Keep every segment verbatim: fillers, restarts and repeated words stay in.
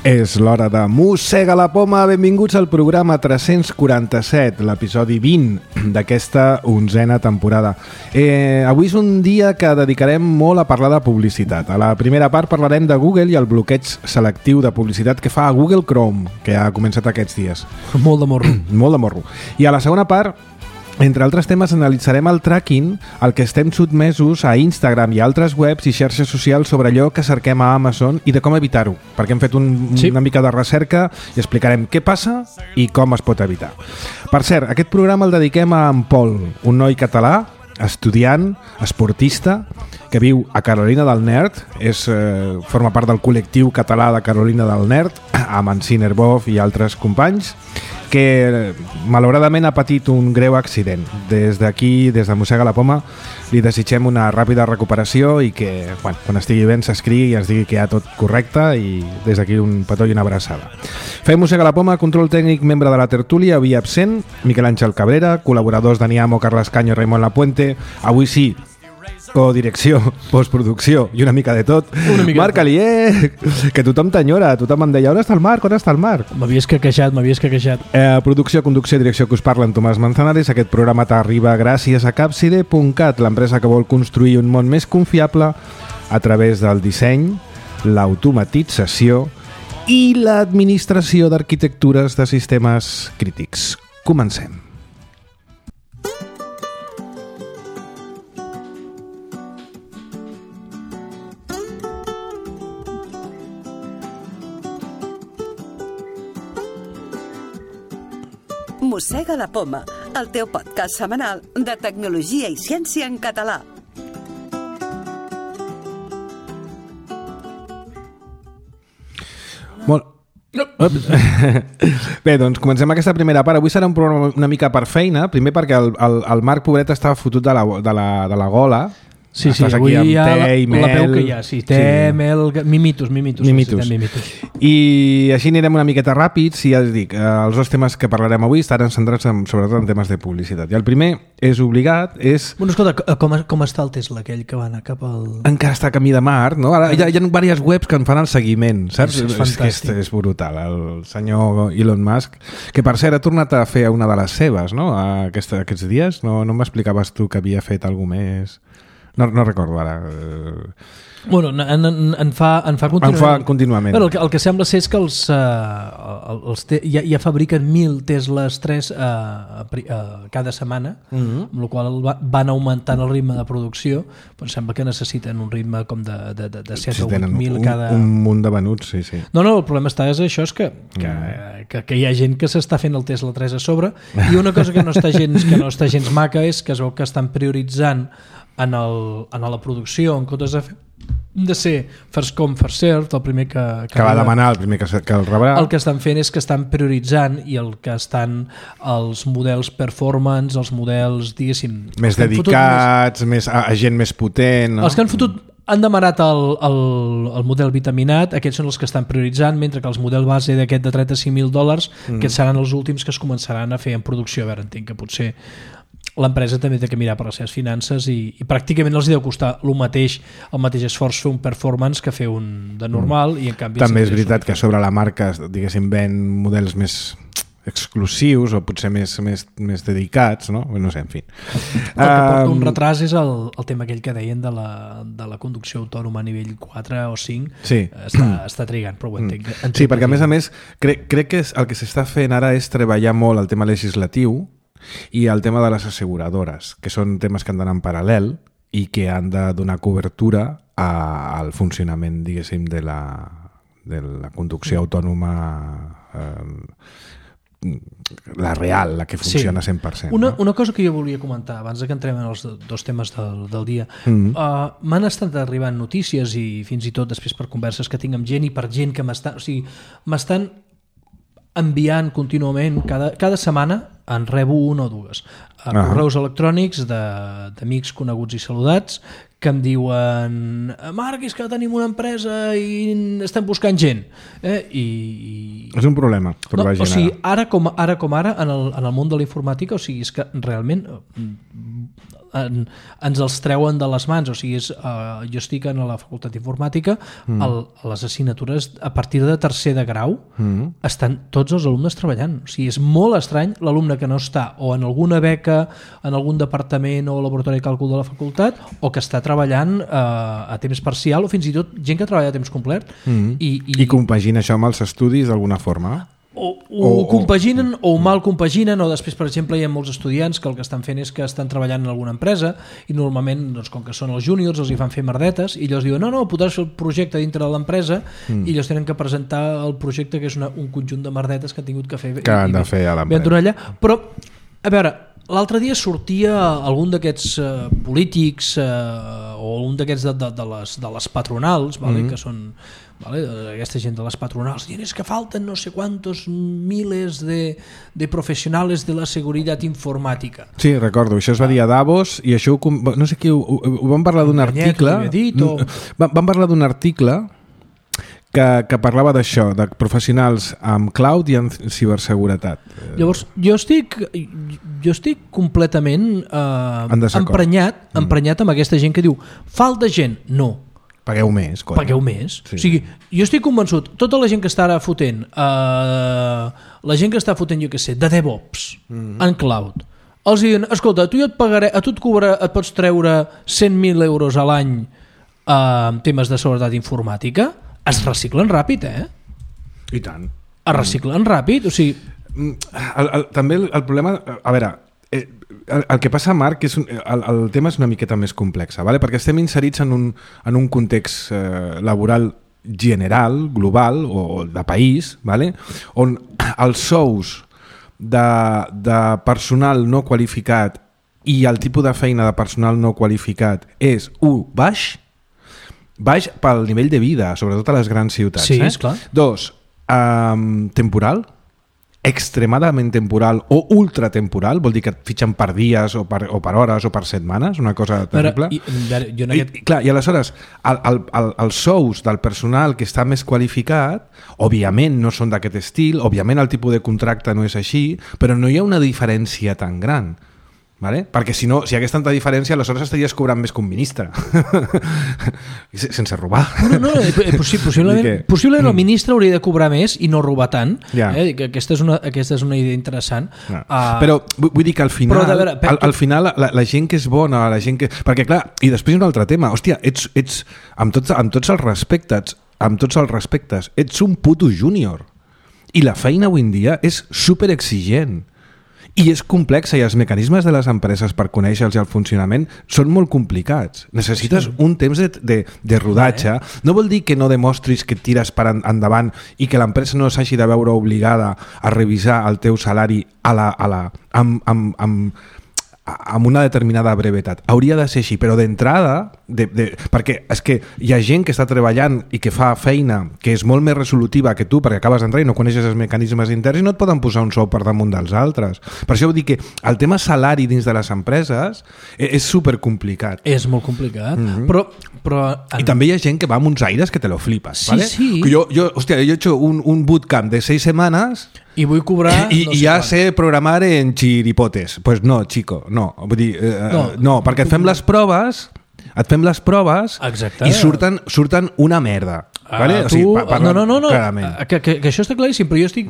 És l'hora de Mossega la Poma. Benvinguts al programa tres-cents quaranta-set, l'episodi vint d'aquesta onzena temporada. Eh, avui és un dia que dedicarem molt a parlar de publicitat. A la primera part parlarem de Google i el bloqueig selectiu de publicitat que fa a Google Chrome, que ha començat aquests dies. Molt de morro. Molt de morro. I a la segona part, entre altres temes, analitzarem el tracking al que estem sotmesos a Instagram i altres webs i xarxes socials sobre allò que cerquem a Amazon i de com evitar-ho, perquè hem fet un, sí. una mica de recerca i explicarem què passa i com es pot evitar. Per cert, aquest programa el dediquem a en Pol, un noi català, estudiant, esportista, que viu a Carolina del Nord, és, eh, forma part del col·lectiu català de Carolina del Nord, amb en Sinerbov i altres companys, que malauradament ha patit un greu accident. Des d'aquí, des de Mossega la Poma, li desitgem una ràpida recuperació i que, bueno, quan estigui ben s'escrigui i ens digui que hi ha tot correcte, i des d'aquí un petó i una abraçada. Fem Mossega la Poma, control tècnic, membre de la tertúlia, avui absent, Miquel Àngel Cabrera, col·laboradors Dani Amo, Carles Canyo, Raimon Lapuente, avui sí, codirecció, postproducció i una mica de tot. Mica Marc Alier, que tothom t'enyora, tothom em deia on està el Marc, on està el Marc? M'havies queixat, m'havies queixat. Eh, producció, conducció, direcció que us parla en Tomàs Manzanares. Aquest programa t'arriba gràcies a Capside punt cat, l'empresa que vol construir un món més confiable a través del disseny, l'automatització i l'administració d'arquitectures de sistemes crítics. Comencem. Mossega la Poma, el teu podcast setmanal de tecnologia i ciència en català. Molt... Bé, doncs comencem aquesta primera part. Avui serà un programa una mica per feina. Primer perquè el, el, el Marc pobret estava fotut de la, de la, de la gola. Sí, sí, avui hi ha la, la peu que hi ha, sí, té, sí. Mel, mimitos, mimitos, mimitos. mimitos. I així anirem una miqueta ràpids i ja us dic, els dos temes que parlarem avui estaran centrats en, sobretot en temes de publicitat. I el primer és obligat, és... Bueno, escolta, com, com està el Tesla, aquell que va anar cap al... Encara està a camí de Mart, no? Ara hi ha, hi ha diverses webs que en fan el seguiment, saps? És, és fantàstic. És, és brutal, el senyor Elon Musk, que per cert ha tornat a fer una de les seves, no? Aquesta, aquests dies, no, no m'explicaves tu que havia fet alguna més... No, no recordo ara. Bueno, en, en, en, fa, en fa contínuament. En fa contínuament. Bueno, el, que, el que sembla ser és que els, uh, els te, ja, ja fabriquen mil Teslas tres uh, uh, cada setmana, mm-hmm. amb la qual va, van augmentant el ritme de producció, però sembla que necessiten un ritme com de, de, de, de set o vuit mil cada... Un, un munt de venuts, sí, sí. No, no, el problema està és això, és que, que, mm. que, que hi ha gent que s'està fent el Tesla tres a sobre, i una cosa que no està gens, que no està gens maca és que es veu que estan prioritzant en, el, en la producció, en comptes de, fer, de ser first come, first served, el primer que... Que, que va demanar, el primer que, que el rebrà. El que estan fent és que estan prioritzant i el que estan els models performance, els models, diguéssim... Més dedicats, més, més, a gent més potent... No? Els que han fotut... Han demanat el, el, el model vitaminat, aquests són els que estan prioritzant, mentre que els model base d'aquest de trenta-cinc mil dòlars, mm. que seran els últims que es començaran a fer en producció. A veure, entenc que potser l'empresa també té que mirar per les seves finances i, i pràcticament els deu costar el mateix, el mateix esforç fer un performance que fer un de normal, mm. i en canvi... També és veritat que sobre la marca, diguéssim, ven models més exclusius o potser més, més, més dedicats, no? No sé, en fi. El que porta un retras és el, el tema aquell que deien de la, de la conducció autònoma a nivell quatre o cinc. Sí. Està, està trigant, però ho entenc. Mm. Sí, perquè a més a més crec, crec que el que s'està fent ara és treballar molt el tema legislatiu i el tema de les asseguradores, que són temes que han d'anar en paral·lel i que han de donar cobertura a, al funcionament, diguéssim, de la, de la conducció autònoma, eh, la real, la que funciona sí. cent per cent. Una, no? una cosa que jo volia comentar, abans que entrem en els dos temes del, del dia, mm-hmm. uh, m'han estat arribant notícies i fins i tot després per converses que tinc amb gent i per gent que m'estan... O sigui, m'estan enviant contínuament, cada, cada setmana en rebo una o dues a uh-huh. correus electrònics d'amics coneguts i saludats que em diuen Marc, és que tenim una empresa i estem buscant gent, eh? I, i... és un problema per no, la gent. O sigui, ara com ara, com ara en, el, en el món de la informàtica, o sigui, és que realment en, ens els treuen de les mans. O sigui, és, uh, jo estic a la facultat d'informàtica, mm. el, a les assignatures a partir de tercer de grau mm. estan tots els alumnes treballant. O sigui, és molt estrany l'alumne que no està o en alguna beca, en algun departament o laboratori de càlcul de la facultat, o que està treballant uh, a temps parcial, o fins i tot gent que treballa a temps complet. Mm. I, i... I compagina això amb els estudis d'alguna forma? O, o, o compaginen o mal compaginen, o després, per exemple, hi ha molts estudiants que el que estan fent és que estan treballant en alguna empresa i normalment, doncs, com que són els júniors, els hi fan fer merdetes i ells diuen, no, no, podràs fer el projecte dintre de l'empresa mm. i ells tenen que presentar el projecte, que és una, un conjunt de merdetes que han tingut que fer, que han de fer a l'empresa. Però, a veure, l'altre dia sortia algun d'aquests uh, polítics uh, o un d'aquests de, de, de, les, de les patronals, vale, mm. que són... Vale, aquesta gent de les patronals dient és que falten no sé quantos miles de, de professionals de la seguretat informàtica. Sí, recordo, això es va dir a Davos i això ho, no sé qui, ho, ho vam parlar d'un article dit, o... vam parlar d'un article que, que parlava d'això, de professionals amb cloud i amb ciberseguretat. Llavors, jo estic jo estic completament eh, emprenyat, mm. emprenyat amb aquesta gent que diu falta gent, no. Pagueu més. Coi. Pagueu més. Sí. O sigui, jo estic convençut, tota la gent que està ara fotent, eh, la gent que està fotent, jo què sé, de DevOps, mm-hmm. en cloud, els diuen, escolta, tu jo et pagaré, a tu et, cobra, et pots treure cent mil euros a l'any eh, en temes de seguretat informàtica, es reciclen ràpid, eh? I tant. Es reciclen mm. ràpid, o sigui... El, el, també el, el problema... A veure... Eh, el, el que passa, Marc, és un, el, el tema és una miqueta més complex, ¿vale? Perquè estem inserits en un, en un context eh, laboral general, global o de país, ¿vale? On els sous de, de personal no qualificat i el tipus de feina de personal no qualificat és un, baix, baix pel nivell de vida, sobretot a les grans ciutats. Sí, eh? és clar. Dos, um, temporal, extremadament temporal o ultratemporal, vol dir que et fitxen per dies o per, o per hores o per setmanes, una cosa terrible. I, jo en aquest... I, clar, i aleshores el, el, el, els sous del personal que està més qualificat òbviament no són d'aquest estil, òbviament el tipus de contracte no és així, però no hi ha una diferència tan gran. Vale? Perquè si no, si hi hagués tanta diferència, aleshores estaries cobrant més que un ministre sense robar. No, no, possi possiblement, que... possiblement el ministre hauria de cobrar més i no robar tant. Ja. Eh? Aquesta, és una, aquesta és una idea interessant. Ja. Uh, però vull dir que al final, veure, per... al, al final la, la gent que és bona, la gent que... Perquè clar, i després un altre tema, hòstia, ets, ets amb, tots, amb tots els respectes, amb tots els respectes, ets un puto júnior. I la feina avui en dia és super exigent. I és complexa i els mecanismes de les empreses per conèixer-los i el funcionament són molt complicats. Necessites sí. un temps de, de, de rodatge. No vol dir que no demostris que tires per endavant i que l'empresa no s'hagi de veure obligada a revisar el teu salari a la, a la, amb, amb, amb, amb una determinada brevetat. Hauria de ser així, però d'entrada, de, de, perquè és que hi ha gent que està treballant i que fa feina que és molt més resolutiva que tu, perquè acabes d'entrar i no coneixes els mecanismes interns i no et poden posar un sou per damunt dels altres. Per això vull dir que el tema salari dins de les empreses és, és supercomplicat. És molt complicat, mm-hmm. però... però en... I també hi ha gent que va amb uns aires que te lo flipes. Sí, ¿vale? sí. Jo, jo, hòstia, jo he hecho un, un bootcamp de seis setmanes... I vull cobrar... I, no i sé ja quan. sé programar en chiripotes. Pues no, chico, no. Vull dir, eh, no. no, perquè et fem les proves, et fem les proves Exacte. I surten, surten una merda. Uh, vale? tu, o sigui, pa, no, no, no, no. Que, que, que això està claríssim, però jo estic,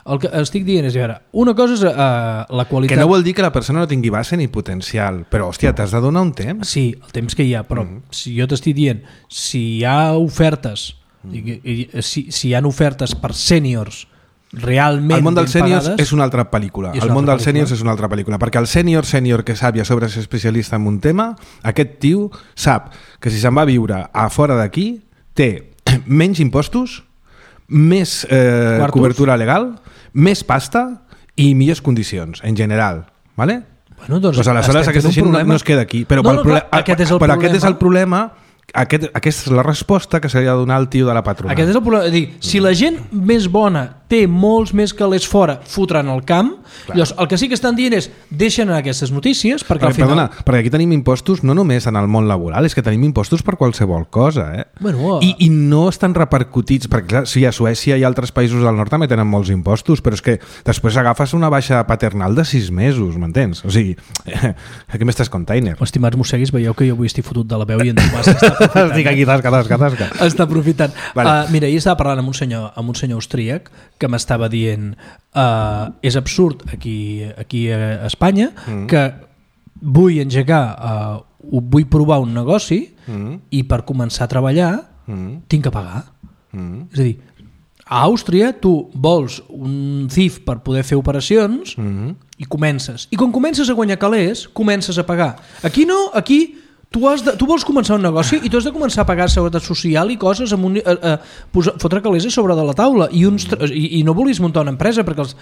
el que estic dient és, veure, una cosa és uh, la qualitat... Que no vol dir que la persona no tingui base ni potencial, però, hòstia, t'has de donar un temps. Sí, el temps que hi ha, però mm. si jo t'estic dient, si hi ha ofertes, mm. i, i, si, si hi ha ofertes per sèniors realment el món dels ben sèniors pagades, és una altra pel·lícula. El món dels sèniors és una altra pel·lícula, perquè el sènior sènior que sap i a sobre és especialista en un tema, aquest tio sap que si se'n va a viure a fora d'aquí té menys impostos, més eh, cobertura legal, més pasta i millors condicions en general, ¿vale? Bueno, doncs, pues aleshores aquesta gent no, no es queda aquí, però, no, no, clar, aquest és el però problema. aquest és el problema. Aquest, aquesta és la resposta que s'hauria de donar al tio de la patronal. Aquest és el problema. Dir, si la gent més bona té molts més calés fora, fotran al camp. Clar. Llavors, el que sí que estan dient és deixen anar aquestes notícies perquè Perquè, al final... perdona, perquè aquí tenim impostos no només en el món laboral, és que tenim impostos per qualsevol cosa, eh? Bueno, I, I no estan repercutits, perquè clar, sí, a Suècia i altres països del nord també tenen molts impostos, però és que després agafes una baixa paternal de sis mesos, m'entens? O sigui, aquí m'estàs container. Estimats mosseguis, veieu que jo avui estic fotut de la veu i en Tomàs està aprofitant. Estic aquí, tasca, tasca, tasca. Està aprofitant. Vale. Uh, mira, ahir estava parlant amb un senyor, amb un senyor austríac que m'estava dient uh, és absurd aquí, aquí a Espanya mm. que vull engegar, uh, vull provar un negoci mm. i per començar a treballar mm. tinc que pagar. Mm. És a dir, a Àustria tu vols un C I F per poder fer operacions mm. i comences. I quan comences a guanyar calés, comences a pagar. Aquí no, aquí tu, has de, tu vols començar un negoci i tu has de començar a pagar seguretat social i coses amb un, a, a, posar, fotre calés a sobre de la taula i, uns, i, i no volis muntar una empresa perquè els,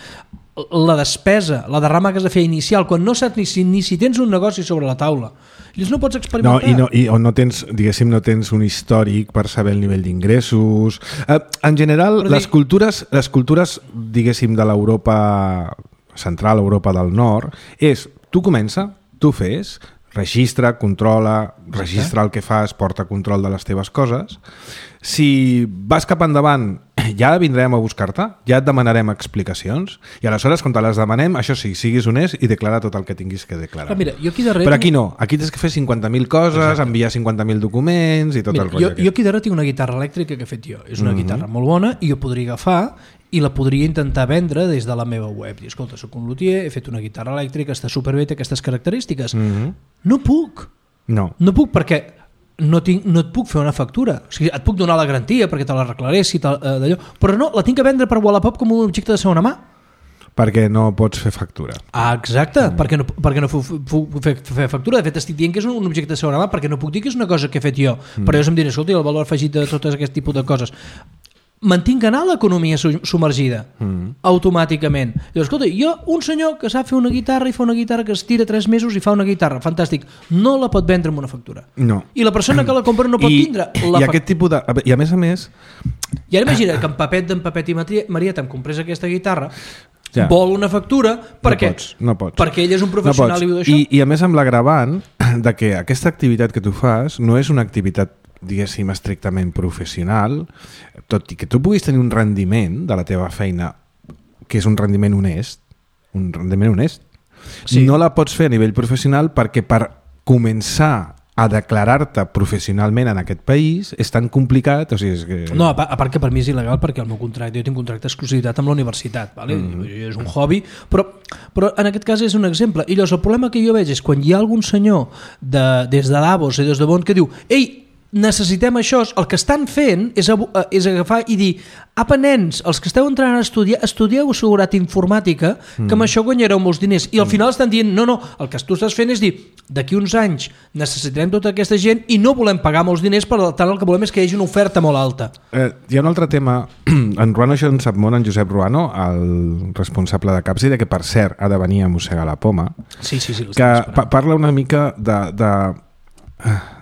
la despesa, la derrama que has de fer inicial, quan no saps ni si, ni si tens un negoci sobre la taula, llavors no pots experimentar. No, i no, i, o no tens, diguéssim, no tens un històric per saber el nivell d'ingressos. Eh, en general, dir... les cultures, les cultures, diguéssim, de l'Europa central, Europa del nord, és, tu comença, tu fes, registra, controla, registra el que fas, porta control de les teves coses. Si vas cap endavant, ja vindrem a buscar-te, ja et demanarem explicacions i aleshores, quan te les demanem, això sí, siguis honest i declara tot el que tinguis que declarar. Però, mira, jo aquí darrere... Però aquí no, aquí tens que fer cinquanta mil coses, exacte, enviar cinquanta mil documents i tot mira, el rotllo. Jo, jo aquí darrere tinc una guitarra elèctrica que he fet jo. És una mm-hmm. guitarra molt bona i jo podria agafar i la podria intentar vendre des de la meva web. Dir, escolta, soc un luthier, he fet una guitarra elèctrica, està superbé, té aquestes característiques. Mm-hmm. No puc. No. No puc perquè no, tinc, no et puc fer una factura. O sigui, et puc donar la garantia perquè te l'arreglaré, si te, eh, d'allò, però no, la tinc que vendre per Wallapop com un objecte de segona mà. Perquè no pots fer factura. Ah, exacte, mm. perquè no, perquè no puc fer, fer factura. De fet, estic dient que és un objecte de segona mà perquè no puc dir que és una cosa que he fet jo. Mm. Però jo em diré, escolta, el valor afegit de tot aquest tipus de coses. Mantinc anar l'economia submergida mm. automàticament. Llavors, escolta, jo, un senyor que sap fer una guitarra i fa una guitarra que es tira tres mesos i fa una guitarra, fantàstic, no la pot vendre amb una factura. No. I la persona que la compra no pot I, tindre i la aquest tipus de... I a més a més... I ara imagina que en Papet d'en Papet i Marieta em comprés aquesta guitarra, ja. vol una factura perquè, no pots, no pots. perquè ell és un professional no i diu això. I, I a més amb l'agravant de que aquesta activitat que tu fas no és una activitat, diguéssim, estrictament professional, tot i que tu puguis tenir un rendiment de la teva feina que és un rendiment honest, un rendiment honest, sí. no la pots fer a nivell professional perquè per començar a declarar-te professionalment en aquest país és tan complicat, o sigui, és que... No, a part, a part que per mi és il·legal perquè el meu contracte, jo tinc un contracte d'exclusivitat amb la universitat, vale? Mm-hmm. És un hobby, però, però en aquest cas és un exemple. I llavors el problema que jo veig és quan hi ha algun senyor de, des de Davos i des de Bonn que diu, ei, necessitem això, el que estan fent és, és agafar i dir, apa nens, els que esteu entrant a estudiar, estudieu seguretat informàtica, mm. que amb això guanyareu molts diners, i al mm. final estan dient, no, no, el que tu estàs fent és dir, d'aquí uns anys necessitarem tota aquesta gent i no volem pagar molts diners, per tant el que volem és que hi hagi una oferta molt alta. Eh, hi ha un altre tema, en Ruano això en sap molt, en Josep Ruano, el responsable de Capsi, de que per cert ha de venir a mossegar la poma, sí, sí, sí, que pa- parla una mica de... de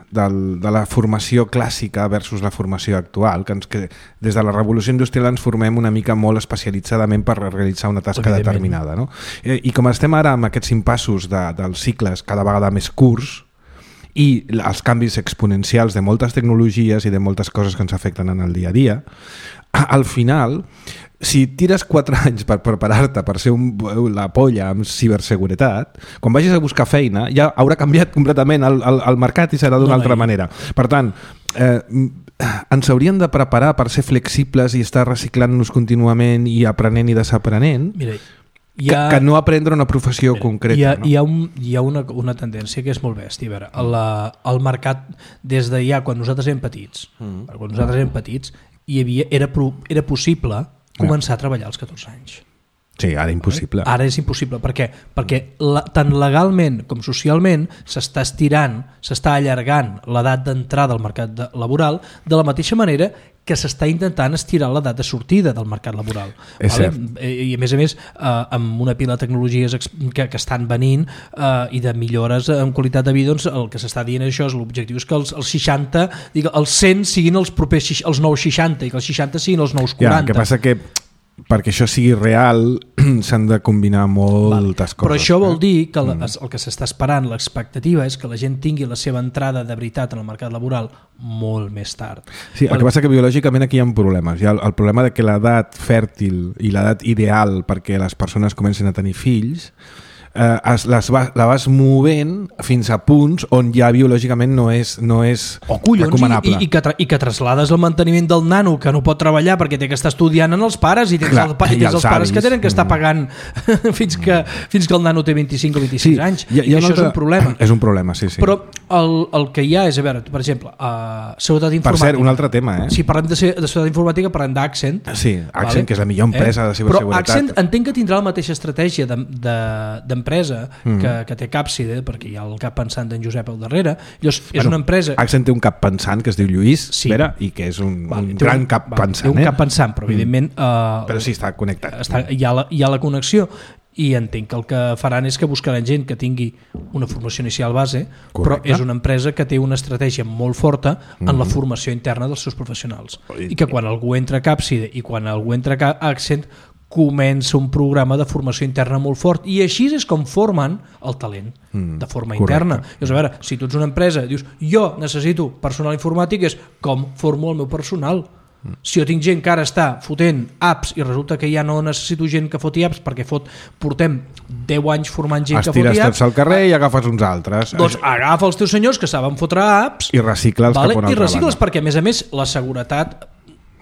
Del, de la formació clàssica versus la formació actual, que, ens, que des de la revolució industrial ens formem una mica molt especialitzadament per realitzar una tasca determinada, no? I, i com estem ara amb aquests impassos de, dels cicles cada vegada més curts i els canvis exponencials de moltes tecnologies i de moltes coses que ens afecten en el dia a dia, al final, si tires quatre anys per preparar-te per ser un, la polla amb ciberseguretat, quan vagis a buscar feina ja haurà canviat completament el, el, el mercat i serà d'una no, altra no, manera. Per tant, eh, ens hauríem de preparar per ser flexibles i estar reciclant-nos contínuament i aprenent i desaprenent. Mira, que, ha... que no aprendre una professió Mira, concreta. Hi ha, no? hi ha, un, hi ha una, una tendència que és molt bèstia. A veure, la, el mercat, des de ja, quan nosaltres érem petits, mm. quan nosaltres érem petits, hi havia, era, era possible començar a treballar als catorze anys. Sí, ara impossible. Ara és impossible. Per què? Perquè la, tant legalment com socialment s'està estirant, s'està allargant l'edat d'entrada al mercat de, laboral de la mateixa manera que s'està intentant estirar l'edat de sortida del mercat laboral. És vale? cert. I a més a més, eh, amb una pila de tecnologies que, que estan venint eh, i de millores en qualitat de vida, doncs el que s'està dient això és l'objectiu és que els, els seixanta, digue, els cent siguin els propers els nous seixanta i que els seixanta siguin els nous quaranta. Ja, el que passa que perquè això sigui real s'han de combinar moltes vale. coses. Però això vol eh? dir que el, el que s'està esperant, l'expectativa és que la gent tingui la seva entrada de veritat en el mercat laboral molt més tard. Sí, el vale. que passa que biològicament aquí hi ha problemes. Hi ha el, el problema de que l'edat fèrtil i l'edat ideal perquè les persones comencin a tenir fills eh, es, les va, la vas movent fins a punts on ja biològicament no és, no és o collons, recomanable. I, i, que tra i que traslades el manteniment del nano que no pot treballar perquè té que estar estudiant en els pares i tens, Clar, el, pa i tens els els pares avis. que tenen que estar pagant fins, que, fins que el nano té vint-i-cinc o vint-i-sis Sí, anys. hi ha, hi ha I això altre... és un problema. És un problema, sí, sí. Però el, el que hi ha és, a veure, per exemple, uh, seguretat informàtica. Per cert, un altre tema, eh? Si parlem de, de seguretat informàtica, parlem d'Accent. Sí, Accent, vale? que és la millor empresa eh? de ciberseguretat. Però Accent entenc que tindrà la mateixa estratègia d'empresa de, de, mm. que, que té Capside, perquè hi ha el cap pensant d'en Josep al darrere. Llavors, és bueno, una empresa... Accent té un cap pensant que es diu Lluís, sí. Vera, i que és un, vale, un gran un, cap vale, pensant. Té un eh? cap pensant, però evidentment... Uh, però sí, està connectat. Està, hi, ha la, hi ha la connexió i entenc que el que faran és que buscaran gent que tingui una formació inicial base. Correcte. Però és una empresa que té una estratègia molt forta en mm-hmm. la formació interna dels seus professionals i que quan algú entra a Capside i quan algú entra a Accent comença un programa de formació interna molt fort i així és com formen el talent mm, de forma correcte. Interna. Llavors, a veure, si tu ets una empresa dius jo necessito personal informàtic, és com formo el meu personal. Si jo tinc gent que ara està fotent apps i resulta que ja no necessito gent que foti apps perquè fot, portem deu anys formant gent que foti apps, estires tots al carrer i agafes uns altres. Doncs agafa els teus senyors que saben fotre apps i recicla'ls vale? cap a una I altra recicla'ls banda. perquè a més a més la seguretat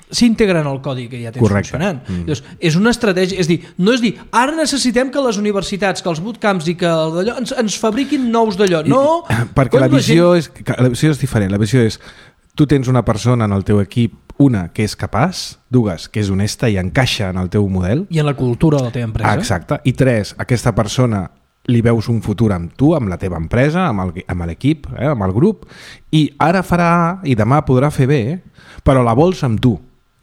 s'integra en el codi que ja tens correcte. Funcionant. Mm. Llavors, és una estratègia, és dir, no és dir ara necessitem que les universitats, que els bootcamps i que d'allò ens, ens fabriquin nous d'allò. No, I, perquè la visió, gent... és, la visió és diferent. La visió és tu tens una persona en el teu equip, una que és capaç, dues que és honesta i encaixa en el teu model i en la cultura de la teva empresa. Exacte, i tres, aquesta persona li veus un futur amb tu, amb la teva empresa, amb l'equip, eh, amb el grup, i ara farà A i demà podrà fer B, però la vols amb tu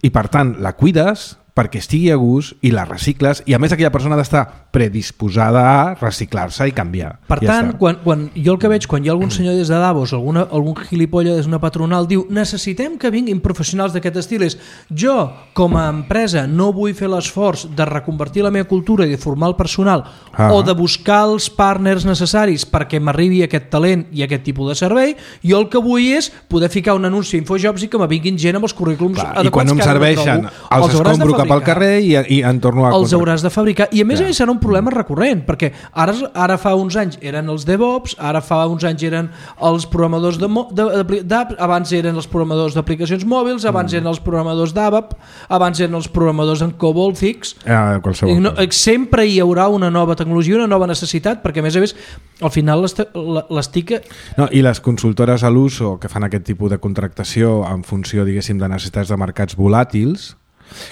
i per tant la cuides perquè estigui a gust i la recicles i a més aquella persona ha d'estar predisposada a reciclar-se i canviar. Per ja tant, quan, quan jo el que veig, quan hi ha algun senyor des de Davos, alguna, algun gilipolla des d'una patronal diu necessitem que vinguin professionals d'aquest estil, és jo com a empresa no vull fer l'esforç de reconvertir la meva cultura i de formar el personal ah. o de buscar els partners necessaris perquè m'arribi aquest talent i aquest tipus de servei, jo el que vull és poder ficar un anunci a InfoJobs i que me vinguin gent amb els currículums clar, adequats. I quan no em serveixen, els, els escombro cap al carrer i, i en torno a... Els hauràs de fabricar. I a més a més serà un problema recurrent, perquè ara, ara fa uns anys eren els DevOps, ara fa uns anys eren els programadors d'apps, abans eren els programadors d'aplicacions mòbils, abans mm. eren els programadors d'ABAP, abans eren els programadors en COBOL, Fix. Ah, no, sempre hi haurà una nova tecnologia, una nova necessitat, perquè a més a més al final l'estic... No, i les consultores a l'uso que fan aquest tipus de contractació en funció, diguéssim, de necessitats de mercats volàtils,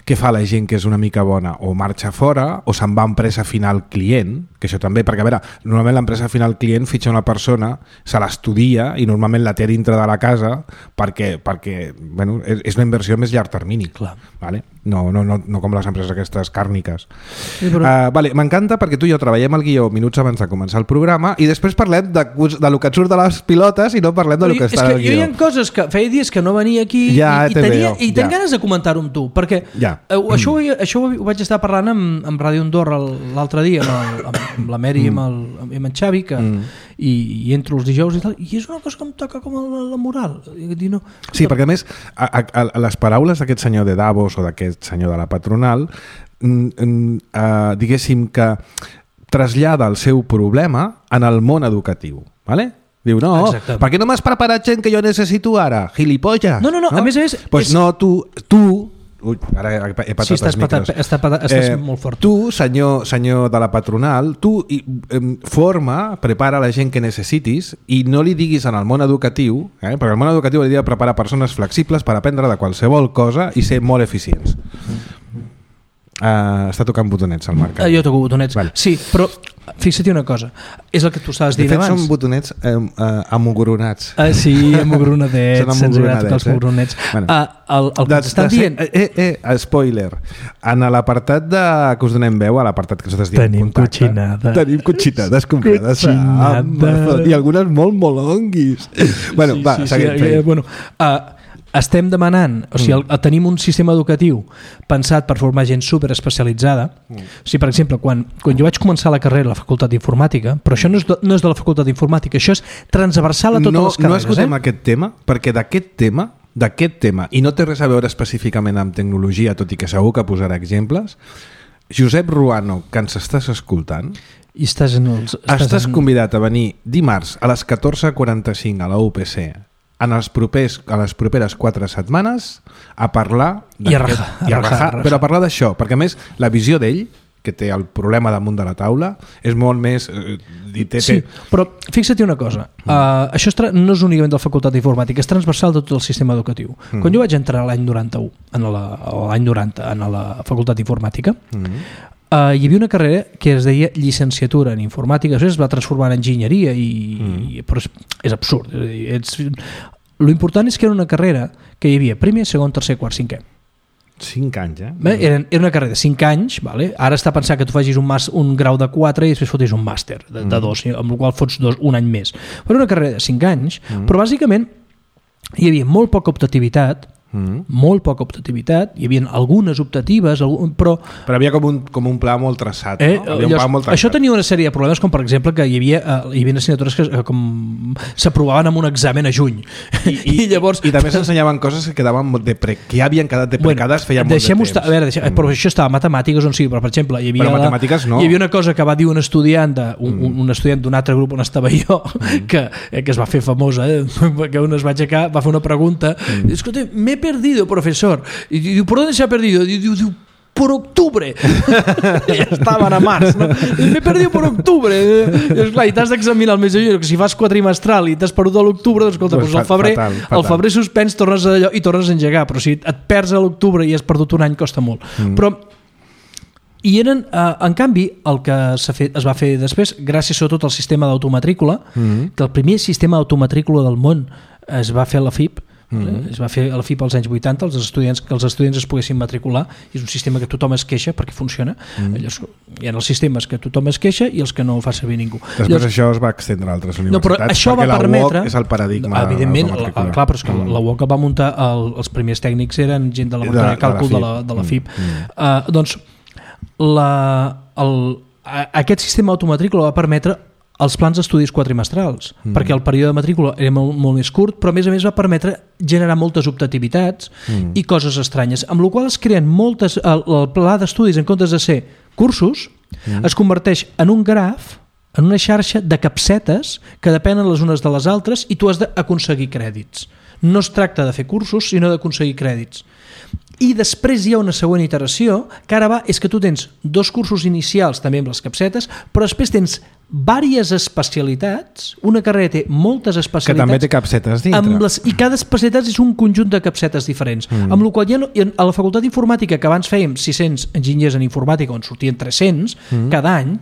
què fa la gent que és una mica bona? O marxa fora o se'n va a empresa final client, que això també, perquè a veure, normalment l'empresa final client fitxa una persona, se l'estudia i normalment la té dintre de la casa perquè, perquè bueno, és una inversió més llarg termini. Clar. Vale? No, no, no, no com les empreses aquestes càrniques. Sí, però... uh, vale, m'encanta perquè tu i jo treballem el guió minuts abans de començar el programa i després parlem de, de lo que et surt de les pilotes i no parlem de lo que està al guió. És que jo hi ha coses que feia dies que no venia aquí ja i, i, tenia, veo, i tenc ja. ganes de comentar-ho amb tu, perquè ja. uh, això, ho, això ho vaig estar parlant amb, amb Ràdio Andorra l'altre dia amb, el, amb, amb la Mary mm. i amb, el, amb en Xavi que, mm. i, i entro els dijous i tal, i és una cosa que em toca com la, la moral. Dir, no, sí, perquè a més a, a, a les paraules d'aquest senyor de Davos o d'aquest senyor de la patronal mm, mm, uh, diguéssim que trasllada el seu problema en el món educatiu, ¿vale? Diu, no, exactament. Per què no m'has preparat gent que jo necessito ara? Gilipolles. No, no, no, no? a més a més... Pues és... no, tu, tu Ui, ara he patat sí, estàs els micros. Patat, està patat, estàs eh, molt fort. Tu, senyor, senyor de la patronal, tu eh, forma, prepara la gent que necessitis i no li diguis en el món educatiu, eh, perquè el món educatiu li diu preparar persones flexibles per aprendre de qualsevol cosa i ser molt eficients. Uh, està tocant botonets al Marc. Uh, jo toco botonets, vale. Sí, però fixa't una cosa, és el que tu estaves dient abans. De fet abans. són botonets eh, uh, amogronats. Uh, sí, amogronadets, se'ns agrada tocar els amogronets. Eh? Bueno, uh, el el que t'estan dient... Eh, eh, eh, spoiler, en l'apartat de, que us donem veu, a l'apartat que nosaltres diem tenim contacte, cotxinada. Tenim cotxinades comprades i algunes molt molonguis. Bueno, sí, va, sí, seguim. Sí, eh, bueno, uh, estem demanant, o sigui, el, el, tenim un sistema educatiu pensat per formar gent superespecialitzada. Mm. O sigui, per exemple, quan, quan jo vaig començar la carrera a la facultat d'informàtica, però això no és de, no és de la facultat d'informàtica, això és transversal a totes no, les carreres. No escoltem eh? aquest tema, perquè d'aquest tema, d'aquest tema, i no té res a veure específicament amb tecnologia, tot i que segur que posarà exemples, Josep Ruano, que ens estàs escoltant, i estàs, en els, estàs, estàs en... convidat a venir dimarts a les catorze quaranta-cinc a la U P C en els propers, a les properes quatre setmanes a parlar I a rajar, i a rajar, però a parlar d'això, perquè a més la visió d'ell, que té el problema damunt de la taula, és molt més... Eh, té, sí, té... però fixa't una cosa, mm. uh, això tra- no és únicament de la facultat d'informàtica, és transversal de tot el sistema educatiu. Mm. Quan jo vaig entrar l'any noranta-u, en la, l'any noranta, en la facultat d'informàtica, mm. uh, hi havia una carrera que es deia llicenciatura en informàtica, després es va transformar en enginyeria, i, mm. i, però és, és absurd. És, lo important és que era una carrera que hi havia primer, segon, tercer, quart, cinquè. Cinc anys, eh? Bé, era, era una carrera de cinc anys, vale? Ara està pensant que tu facis un, mas, un grau de quatre i després fotis un màster de, de dos, amb el qual fots dos, un any més. Però una carrera de cinc anys, mm. però bàsicament hi havia molt poca optativitat, mm. molt poca optativitat, hi havia algunes optatives, algun, però... Però havia com un, com un pla molt traçat, eh, no? Havia un pla molt traçat. Això tenia una sèrie de problemes, com per exemple que hi havia, uh, hi havia assignatures que uh, com s'aprovaven amb un examen a juny. I, i, I llavors... I també s'ensenyaven coses que quedaven de pre... que ja havien quedat deprecades, bueno, feia molt de temps. Estar, a veure, deixem, mm. però això estava a matemàtiques on sigui, però per exemple, hi havia, però matemàtiques no. Hi havia una cosa que va dir un estudiant de, un, mm. un estudiant d'un altre grup on estava jo, mm. que, eh, que es va fer famosa, eh, que un es va aixecar, va fer una pregunta, mm. i escolta, m'he perdido, profesor. Y diu, ¿por dónde se ha perdido? Diu, diu, por octubre. Ja estaven a març, no? M'he perdido por octubre. I, esclar, i t'has d'examinar el mes de juny, que si fas quadrimestral i t'has perdut a l'octubre, doncs escolta, pues, doncs al febrer, fatal, fatal. al febrer suspens, tornes a allò i tornes a engegar, però si et perds a l'octubre i has perdut un any, costa molt. Mm. Però i eren, eh, en canvi, el que s'ha fet, es va fer després, gràcies sobretot al sistema d'automatrícula, mm. que el primer sistema d'automatrícula del món es va fer a la F I P, Mm-hmm. es va fer a la F I P als anys vuitanta, els estudiants, que els estudiants es poguessin matricular, és un sistema que tothom es queixa perquè funciona. Mm. Llavors, hi ha els sistemes que tothom es queixa i els que no ho fa servir ningú. Després Llavors, això es va extendre a altres universitats, no, però això perquè va permetre, la U O C és el paradigma. Evidentment, la, clar, però és que mm. la U O C va muntar, el, els primers tècnics eren gent de la de, de càlcul de la, de la F I P. Mm. Uh, doncs la, el, a, aquest sistema automatrícula va permetre els plans d'estudis quadrimestrals, mm. perquè el període de matrícula era molt, molt més curt, però a més a més va permetre generar moltes optativitats mm. i coses estranyes, amb la qual es creen moltes... El, el pla d'estudis, en comptes de ser cursos, mm. es converteix en un graf, en una xarxa de capsetes que depenen les unes de les altres i tu has d'aconseguir crèdits. No es tracta de fer cursos, sinó d'aconseguir crèdits. I després hi ha una següent iteració, que ara va, és que tu tens dos cursos inicials també amb les capsetes, però després tens diverses especialitats, una carrera té moltes especialitats... Que també té capsetes dintre. Amb les, I cada especialitat és un conjunt de capsetes diferents. Mm. Amb la qual ja no, a la facultat d'informàtica, que abans fèiem sis-cents enginyers en informàtica, on sortien tres-cents mm. cada any,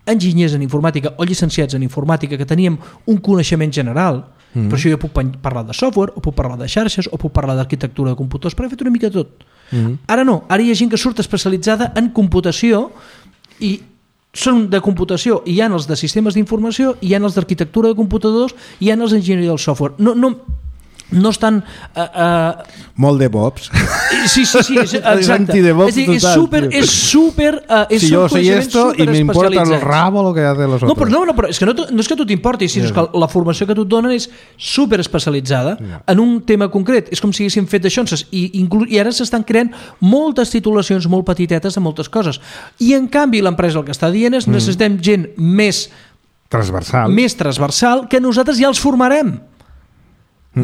enginyers en informàtica o llicenciats en informàtica, que teníem un coneixement general. Mm. Per això jo puc parlar de software, o puc parlar de xarxes, o puc parlar d'arquitectura de computadors, però he fet una mica de tot. Mm. Ara no, ara hi ha gent que surt especialitzada en computació i són de computació, i hi ha els de sistemes d'informació, hi ha els d'arquitectura de computadors, hi ha els d'enginyeria del software. No, no, no estan... Uh, uh... Molt de bobs. Sí, sí, sí, exacte. És dir, és súper... És súper uh, és si yo sé esto y me importa el rabo lo que hacen los no, otros. Però, no, no, però és que no, no és que a tu t'importi, sinó yeah. que la formació que tu et donen és súper especialitzada yeah. en un tema concret. És com si haguéssim fet d'això i, inclú, i ara s'estan creant moltes titulacions molt petitetes de moltes coses. I en canvi l'empresa el que està dient és mm. necessitem gent més transversal. més transversal que nosaltres ja els formarem.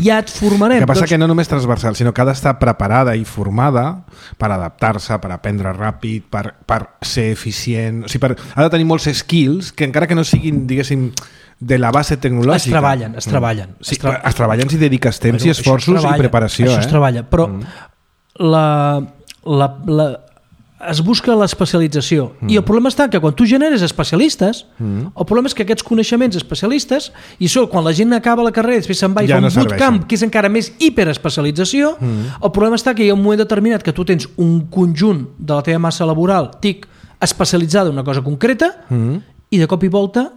Ja et formarem. El que passa doncs... que no només transversal, sinó que ha d'estar preparada i formada per adaptar-se, per aprendre ràpid, per, per ser eficient. O sigui, per, ha de tenir molts skills que encara que no siguin, diguéssim, de la base tecnològica. Es treballen, es treballen. Sí, es, tra... es treballen si dediques temps bueno, i esforços i preparació. Això eh? es treballa, però mm. la, la, la, es busca l'especialització mm. i el problema està que quan tu generes especialistes mm. el problema és que aquests coneixements especialistes i això, quan la gent acaba la carrera després se'n va i ja fa un no bootcamp que és encara més hiperespecialització mm. el problema està que hi ha un moment determinat que tu tens un conjunt de la teva massa laboral tic, especialitzada en una cosa concreta mm. i de cop i volta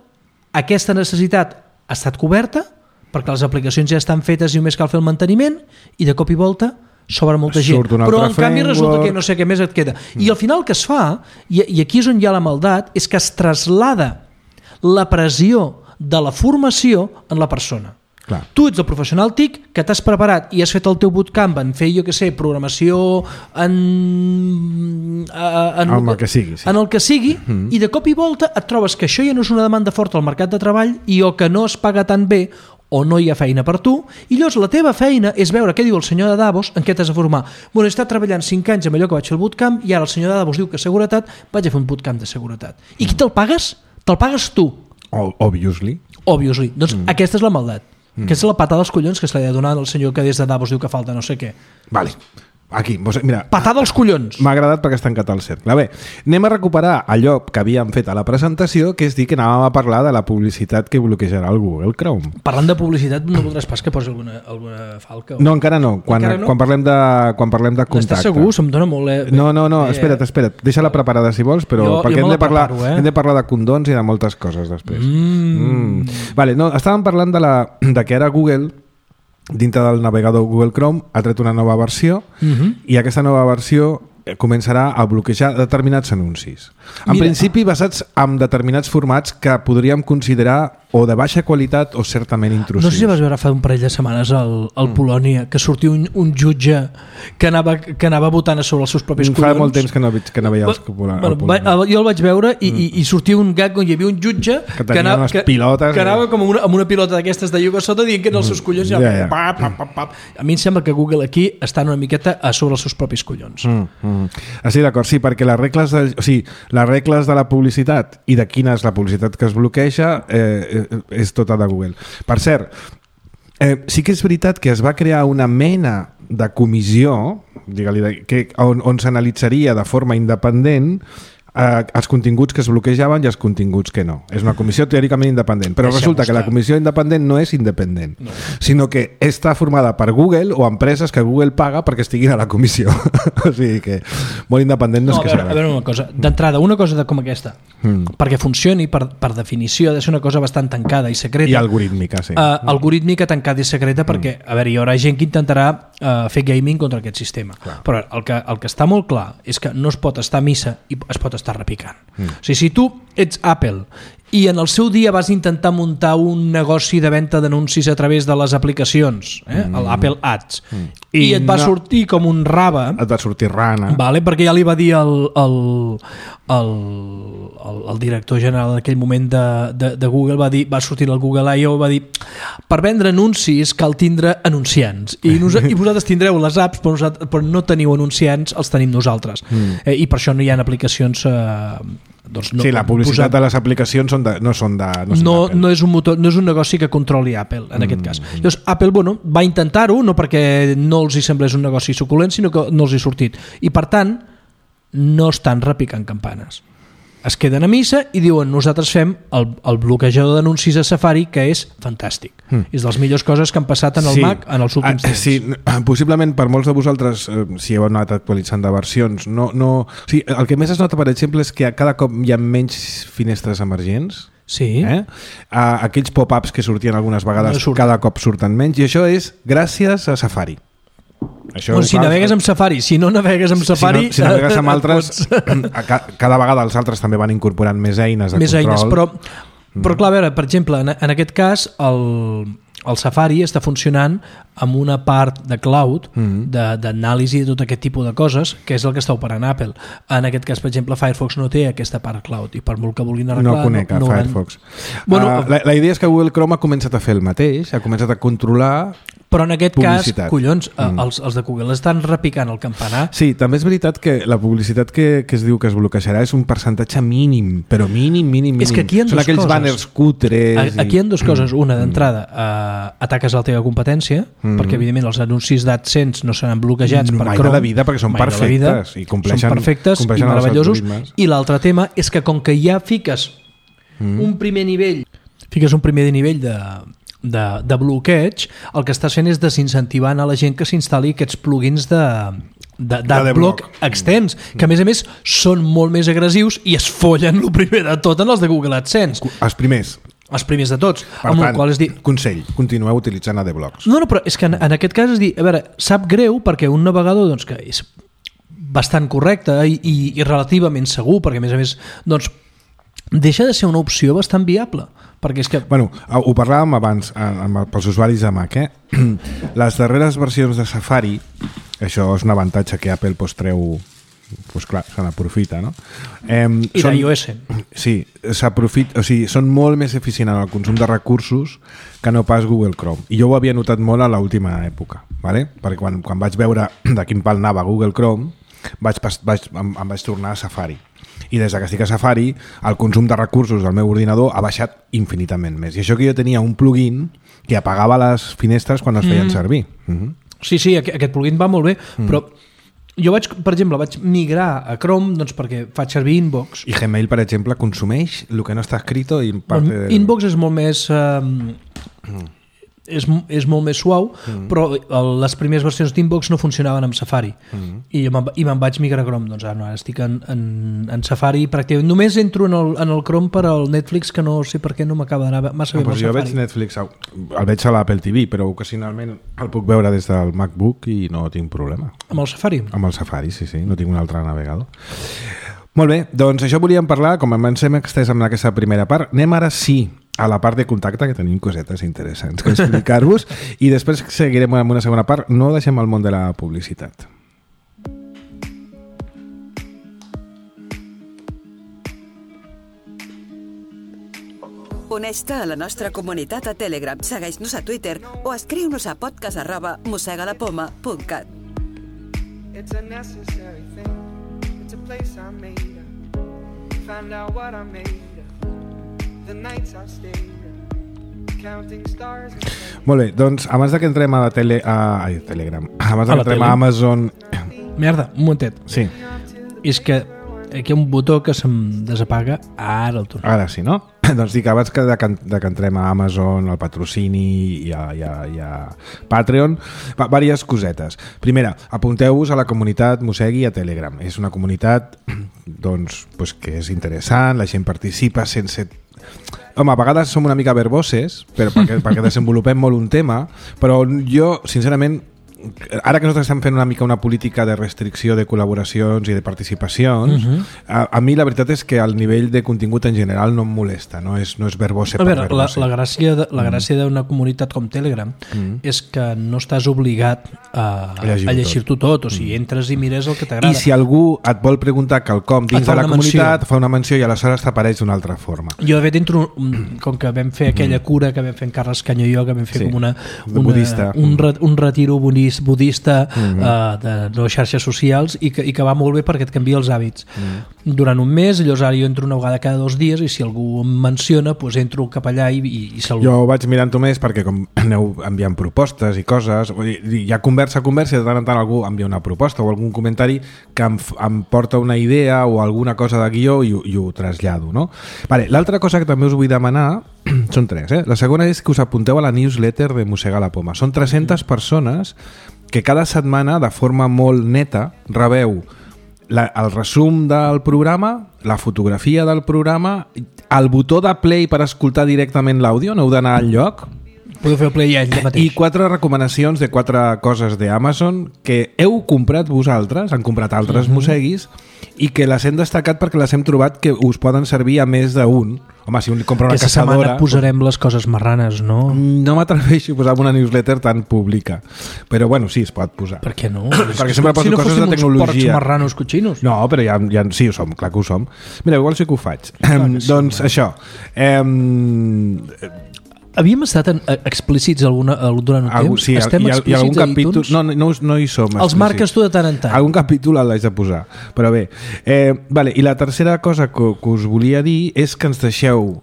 aquesta necessitat ha estat coberta perquè les aplicacions ja estan fetes i només cal fer el manteniment i de cop i volta s'obre molta gent, però en canvi resulta que no sé què més et queda. I al final el que es fa, i, i aquí és on hi ha la maldat, és que es traslada la pressió de la formació en la persona. Clar. Tu ets el professional T I C que t'has preparat i has fet el teu bootcamp en fer, jo què sé, programació en, en, en el que sigui, sí. en el que sigui mm-hmm. i de cop i volta et trobes que això ja no és una demanda forta al mercat de treball i o que no es paga tan bé o no hi ha feina per tu, i llavors la teva feina és veure què diu el senyor de Davos, en què t'has de formar. Bueno, he estat treballant cinc anys amb allò que vaig fer el bootcamp i ara el senyor de Davos diu que seguretat, vaig a fer un bootcamp de seguretat. I qui te'l pagues? Te'l pagues tu. Obviously. Obviously. Doncs mm. aquesta és la maldat. Mm. Aquesta és la patada dels collons que se li ha donat al senyor que des de Davos diu que falta no sé què. Vale. Aquí, mira, patada als collons. M'ha agradat perquè està tancat el cercle. Bé, anem a recuperar allò que havíem fet a la presentació, que és dir que anàvem a parlar de la publicitat que bloquejarà el Google Chrome. Parlant de publicitat, no voldràs pas que posi alguna, alguna falca? O... No, encara no. Quan, encara no? Quan parlem de, quan parlem de contacte. Estàs segur? Se'm dona molt... Eh? No, no, no, espera't, espera't. Deixa-la preparada si vols, però jo, perquè jo hem, de parlar, preparo, eh? hem de parlar de condons i de moltes coses després. Mm. Mm. Vale, no, estàvem parlant de, la, de que ara Google... dintre del navegador Google Chrome ha tret una nova versió uh-huh. i aquesta nova versió començarà a bloquejar determinats anuncis. En Mira. principi basats en determinats formats que podríem considerar o de baixa qualitat o certament intrusius. No sé si vas veure fa un parell de setmanes al, al mm. Polònia que sortia un, un jutge que anava, que anava votant a sobre els seus propis collons. Fa molt temps que no, que no veia els Polònia. Bueno, va, jo el vaig veure i, mm. i, i sortia un gag on hi havia un jutge que, que anava, que, pilotes, que anava com amb una, amb una pilota d'aquestes de ioga sota dient que en els seus collons ja, ja. Pap, pap, pap, pap. A mi em sembla que Google aquí està una miqueta a sobre els seus propis collons. Mm. Mm. Ah, sí, d'acord, sí, perquè les regles de, o sigui, les regles de la publicitat i de quina és la publicitat que es bloqueja eh, és tota de Google. Per cert, eh, sí que és veritat que es va crear una mena de comissió, digue-li, que, on, on s'analitzaria de forma independent eh, els continguts que es bloquejaven i els continguts que no. És una comissió teòricament independent, però Deixem resulta estar. que la comissió independent no és independent, no. sinó que està formada per Google o empreses que Google paga perquè estiguin a la comissió. O sigui que molt independent no, no és que a veure, a veure una cosa, d'entrada, una cosa de com aquesta, mm. perquè funcioni, per, per definició, ha de ser una cosa bastant tancada i secreta. I algorítmica, sí. Uh, algorítmica, tancada i secreta, perquè, mm. a veure, hi haurà gent que intentarà uh, fer gaming contra aquest sistema. Clar. Però el que, el que està molt clar és que no es pot estar a missa i es pot estar repicant. Mm. O sigui, si tu ets Apple i en el seu dia vas intentar muntar un negoci de venda d'anuncis a través de les aplicacions, eh? mm. l'Apple Ads, mm. i, i et va no, sortir com un rave, et va sortir rana, vale? Perquè ja li va dir el, el, el, el, el director general en aquell moment de, de, de Google, va, dir, va sortir al Google I O, va dir, per vendre anuncis cal tindre anunciants, i, nos, i vosaltres tindreu les apps, però, nosaltres, però no teniu anunciants, els tenim nosaltres. Mm. Eh, i per això no hi ha aplicacions... Eh, doncs no, sí, la publicitat posat... de les aplicacions són de, no són de no, són no, no, és un motor, no és un negoci que controli Apple en mm. aquest cas. Llavors Apple bueno, va intentar-ho, no perquè no els hi semblés un negoci suculent, sinó que no els hi ha sortit, i per tant no estan repicant campanes, es queden a missa i diuen nosaltres fem el, el bloquejador d'anuncis a Safari, que és fantàstic, mm. és de les millors coses que han passat en el sí. Mac en els últims temps. Sí, possiblement per molts de vosaltres, eh, si heu anat actualitzant de versions, no, no... O sigui, el que més es nota, per exemple, és que cada cop hi ha menys finestres emergents. Sí. Eh? Uh, aquells pop-ups que sortien algunes vegades no cada cop surten menys, i això és gràcies a Safari. Això, bueno, si clar, navegues amb Safari, si no navegues amb Safari... Si, no, si navegues amb altres, cada vegada els altres també van incorporant més eines de més control. Eines, però, però clar, a veure, per exemple, en, en aquest cas, el, el Safari està funcionant amb una part de cloud, mm-hmm. d'anàlisi de, de tot aquest tipus de coses, que és el que està operant Apple. En aquest cas, per exemple, Firefox no té aquesta part cloud, i per molt que vulguin arreglar... No conec no, no Firefox. Bueno, uh, la, la idea és que Google Chrome ha començat a fer el mateix, ha començat a controlar... Però en aquest publicitat. cas, collons, mm. els, els de Google estan repicant el campanar. Sí, també és veritat que la publicitat que, que es diu que es bloquejarà és un percentatge mínim, però mínim, mínim, mínim. És que aquí hi ha Són aquells coses. banners cutres. A, aquí hi ha dues coses. Una, d'entrada, eh, ataques la teva competència, mm. perquè evidentment els anuncis d'AdSense no seran bloquejats no, per mai Chrome. Mai de la vida, perquè són perfectes. I compleixen, són perfectes i meravellosos. I l'altre tema és que com que ja fiques mm. un primer nivell, fiques un primer nivell de... De, de bloqueig, el que estàs fent és desincentivant a la gent que s'instal·li aquests plugins de, de, d'adblock extens, que a més a més són molt més agressius i es follen el primer de tot en els de Google AdSense. Els primers. els primers de tots. Per amb tant, el qual és dir... consell, continueu utilitzant AdBlocks. No, no, però és que en, en aquest cas és dir, a veure, sap greu perquè un navegador doncs, que és bastant correcte i, i, i relativament segur, perquè a més a més doncs, deixa de ser una opció bastant viable. Perquè és que... Bueno, ho parlàvem abans amb, pels usuaris de Mac, eh? Les darreres versions de Safari, això és un avantatge que Apple pues, treu... Pues clar, se n'aprofita, no? Eh, I són, d'iOS. Sí, s'aprofita, o sigui, són molt més eficients en el consum de recursos que no pas Google Chrome. I jo ho havia notat molt a l'última època, ¿vale? Perquè quan, quan vaig veure de quin pal anava Google Chrome, vaig, vaig, em, em vaig tornar a Safari. I des que estic a Safari, el consum de recursos del meu ordinador ha baixat infinitament més. I això que jo tenia un plugin que apagava les finestres quan es feien mm. servir. Mm-hmm. Sí, sí, aquest plugin va molt bé, mm. però jo vaig, per exemple, vaig migrar a Chrome doncs, perquè faig servir Inbox. I Gmail, per exemple, consumeix el que no està escrito i parte de... Inbox és molt més... Eh, mm. és, és molt més suau, mm. però les primeres versions d'Inbox no funcionaven amb Safari. Mm. I, i me'n vaig migrar a Chrome. Doncs ara, no, ara estic en, en, en Safari pràcticament. Només entro en el, en el Chrome per al Netflix, que no sé per què no m'acaba d'anar massa no, bé amb el jo Safari. Veig Netflix, el veig a l'Apple T V, però ocasionalment el puc veure des del MacBook i no tinc problema. Amb el Safari? Amb el Safari, sí, sí. No tinc un altre navegador. Molt bé, doncs això volíem parlar, com ens hem extès amb aquesta primera part. Anem ara sí a la part de contacte, que tenim cosetes interessants que explicar-vos, i després seguirem amb una segona part. No deixem el món de la publicitat. Uneix-te a la nostra comunitat a Telegram, segueix-nos a Twitter o escriu-nos a podcast arroba mosegalapoma punt cat. It's a necessary thing. It's a place I made up. Find out what I made up. The nights I stayed up. Counting stars. Molt bé, doncs abans de que entrem a, tele, a, a Telegram, abans de que entrem a Amazon... Merda, un momentet. Sí. És que aquí hi ha un botó que se'm desapaga, ara el torno. Ara sí, no? Doncs dic, abans que de, de que entrem a Amazon, al patrocini i a, i a, i a Patreon, va, diverses cosetes. Primera, apunteu-vos a la comunitat Mossegui a Telegram. És una comunitat doncs, pues, que és interessant, la gent participa sense... Home, a vegades som una mica verboses però perquè, perquè desenvolupem molt un tema, però jo, sincerament, ara que nosaltres estem fent una mica una política de restricció de col·laboracions i de participacions, uh-huh. a, a mi la veritat és que el nivell de contingut en general no em molesta, no és, no és verbose a per veure, verbose. La, la gràcia de, la gràcia mm. d'una comunitat com Telegram mm. és que no estàs obligat a, a llegir-ho llegir tot. tot, o sigui, entres i mires el que t'agrada. I si algú et vol preguntar quelcom dins de la comunitat, fa una menció i aleshores t'apareix d'una altra forma. Jo de fet entro, com que vam fer aquella mm. cura que vam fer en Carles Canyo i jo, que vam fer sí. com una, una un, re, un retiro bonista budista mm-hmm. uh, de les xarxes socials i que, i que va molt bé perquè et canvia els hàbits. Mm. Durant un mes, llavors ara jo entro una vegada cada dos dies i si algú em menciona, doncs entro cap allà i, i, i saludo. Jo vaig mirant-ho més perquè com aneu enviant propostes i coses, hi ha conversa, conversa i de tant en tant algú envia una proposta o algun comentari que em, em porta una idea o alguna cosa de guió i, i ho trasllado, no? Vale, l'altra cosa que també us vull demanar són tres, eh? La segona és que us apunteu a la newsletter de Mossega la Poma. Són tres-centes persones que cada setmana, de forma molt neta, rebeu la, el resum del programa, la fotografia del programa, el botó de play per escoltar directament l'àudio, no heu d'anar al lloc, podeu fer el play allà mateix. I quatre recomanacions de quatre coses d'Amazon que heu comprat vosaltres, han comprat altres uh-huh. mosseguis, i que les hem destacat perquè les hem trobat que us poden servir a més d'un. Home, si un li compra una Aquesta caçadora... Aquesta setmana posarem les coses marranes, no? No m'atreveixo a posar una newsletter tan pública. Però bueno, sí, es pot posar. Per què no? Perquè sempre poso si no coses de tecnologia. Si no porcs marranos cotxinos. No, però ja, ja sí ho som, clar que ho som. Mira, igual sí que ho faig. Clar, um, sí, doncs bueno. Això... Um, Havíem estat en, explícits alguna, durant un Algú, temps? sí, Estem hi ha, hi ha algun capítol... No, no, no hi som Els marques tu de tant en tant. Algun capítol l'haig de posar. Però bé, eh, vale, i la tercera cosa que, que us volia dir és que ens deixeu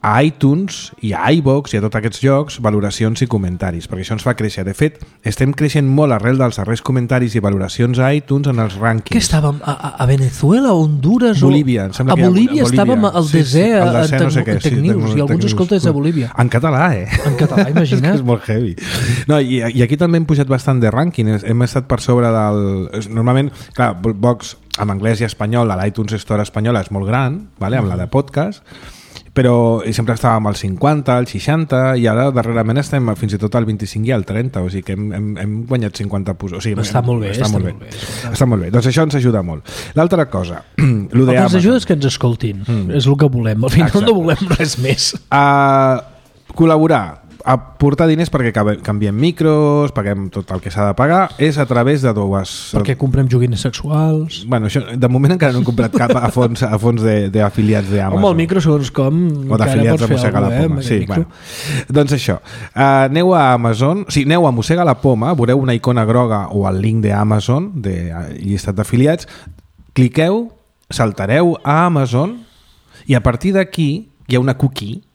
a iTunes i a iVoox i a tots aquests llocs valoracions i comentaris, perquè això ens fa créixer. De fet, estem creixent molt arrel dels darrers comentaris i valoracions a iTunes en els rànquings. Què estàvem? A, a Venezuela, Honduras? Bolívia, em sembla a que Bolívia, a Bolívia estàvem al sí, desè, sí, al desè a no sé què, Tecnews, sí, i alguns escoltes de Bolívia. En català, eh? En català, imagina't. És molt heavy. No, i, i aquí també hem pujat bastant de rànquing, hem estat per sobre del... Normalment, clar, Vox en anglès i espanyol, a l'iTunes Store espanyola és molt gran, vale? Amb la de podcast, però sempre estàvem al cinquanta, al seixanta, i ara darrerament estem fins i tot al vint-i-cinc i al trenta, o sigui que hem, hem, hem guanyat cinquanta punts. O sigui, està, hem, molt bé, està, està molt bé, molt bé. Està molt bé. Doncs això ens ajuda molt. L'altra cosa, lo de el que ens Amazon. ajuda és que ens escoltin, mm. és el que volem. Al final Exacte. No volem res més. Uh, col·laborar, aportar diners perquè canviem micros, paguem tot el que s'ha de pagar, és a través de dues... Perquè comprem joguines sexuals... Bueno, això, de moment encara no hem comprat cap a fons, a fons d'afiliats d'Amazon. Home, el micro, segons com... O d'afiliats de Mossega la Poma. Eh, sí, bueno. Doncs això. Uh, aneu a Amazon, sí, aneu a Mossega la Poma, veureu una icona groga o el link d'Amazon, de llistat d'afiliats, cliqueu, saltareu a Amazon i a partir d'aquí hi ha una cookie.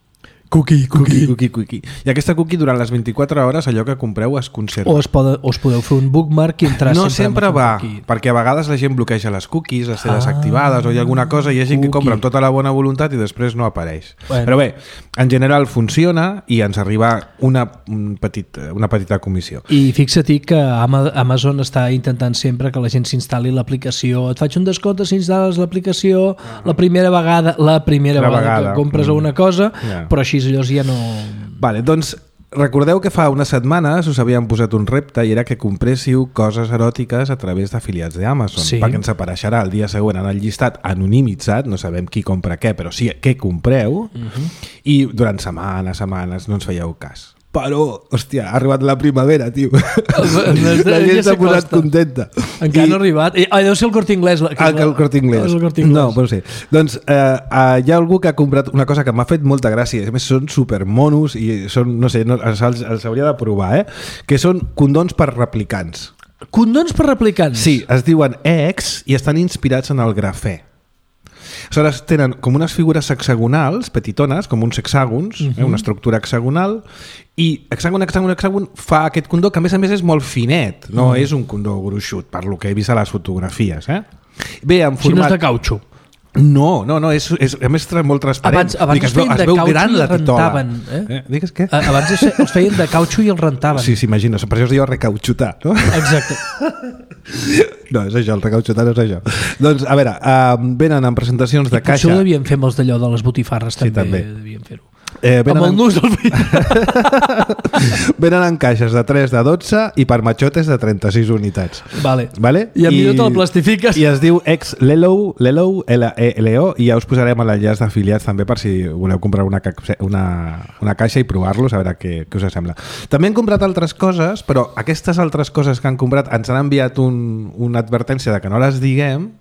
Cookie, cookie. Cookie, cookie. I aquesta cookie durant les vint-i-quatre hores allò que compreu es conserva. O, es pode, o es podeu fer un bookmark i entrar no sempre, sempre va, perquè a vegades la gent bloqueja les cookies, les té ah, desactivades o hi ha alguna cosa i hi ha gent cookie. Que compra amb tota la bona voluntat i després no apareix. Bueno. Però bé, en general funciona i ens arriba una, un petit, una petita comissió. I fixa't que Amazon està intentant sempre que la gent s'instal·li l'aplicació. Et faig un descompte si instal·les l'aplicació ah. la primera vegada, la primera la vegada, vegada que compres mm. una cosa, yeah. però així allò ja no... Vale, doncs recordeu que fa unes setmanes us havíem posat un repte i era que compréssiu coses eròtiques a través d'afiliats d'Amazon, sí. perquè ens apareixerà el dia següent en el llistat anonimitzat, no sabem qui compra què, però sí què compreu, uh-huh. i durant setmanes, setmanes no ens fèieu cas. Però, hòstia, ha arribat la primavera, tio. La gent s'ha posat contenta. Encara I... no ha arribat. Ah, deu ser el Corte Inglés. La... Ah, el Corte Inglés. El Corte Inglés. No, però sí. Doncs eh, eh, hi ha algú que ha comprat una cosa que m'ha fet molta gràcia. A més, són supermonos i són, no sé, no, els, els hauria de provar, eh? Que són condons per replicants. Condons per replicants? Sí, es diuen X i estan inspirats en el grafè. Aleshores tenen com unes figures hexagonals, petitones, com uns hexàgons, uh-huh. eh, una estructura hexagonal, i hexàgon, hexàgon, hexàgon fa aquest condó que a més a més és molt finet, no uh-huh. és un condó gruixut, per lo que he vist a les fotografies. Eh? Bé, en format... Si no és de cautxo. No, no, no, és, és a més molt transparent. Abans, abans Dic, es feien es de veu cautxo gran i la rentaven. Eh? Eh? Digues què? Abans es feien de cautxo i el rentaven. Sí, s'imagina, per això es diu recauxutar, no? Exacte. No, és això, el recauxutar no és això. Doncs, a veure, uh, venen en presentacions de I caixa... potser ho devien fer amb els d'allò de les botifarres, també, sí, també. devien fer-ho. Eh, amb el en... nus del fill. Venen en caixes de tres, de dotze i per matxotes de trenta-sis unitats. Vale. Vale? I en I... millor te'l plastifiques. I es diu ex Lelo, Lelo, L E L O, i ja us posarem a l'enllaç d'afiliats també per si voleu comprar una, ca... una, una caixa i provar-los, a veure què, què us sembla. També han comprat altres coses, però aquestes altres coses que han comprat ens han enviat un, una advertència de que no les diguem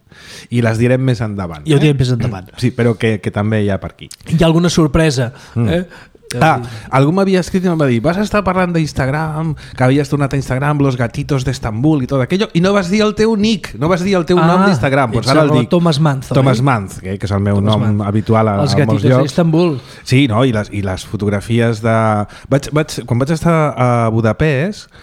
i les direm més endavant. I ho direm més endavant. Sí, però que, que també hi ha per aquí. Hi ha alguna sorpresa. Mm. Eh? Ah, algú m'havia escrit i em va dir vas estar parlant d'Instagram, que havies tornat a Instagram los gatitos d'Estambul i tot aquello, i no vas dir el teu nick, no vas dir el teu ah, nom d'Instagram. Pues ara el dic. Thomas Manzo. Thomas eh? Manz, que, que és el meu Thomas nom Manz. Habitual a, els a molts llocs. Els gatitos d'Estambul. Sí, no? I les, i les fotografies de... Vaig, vaig, quan vaig estar a Budapest,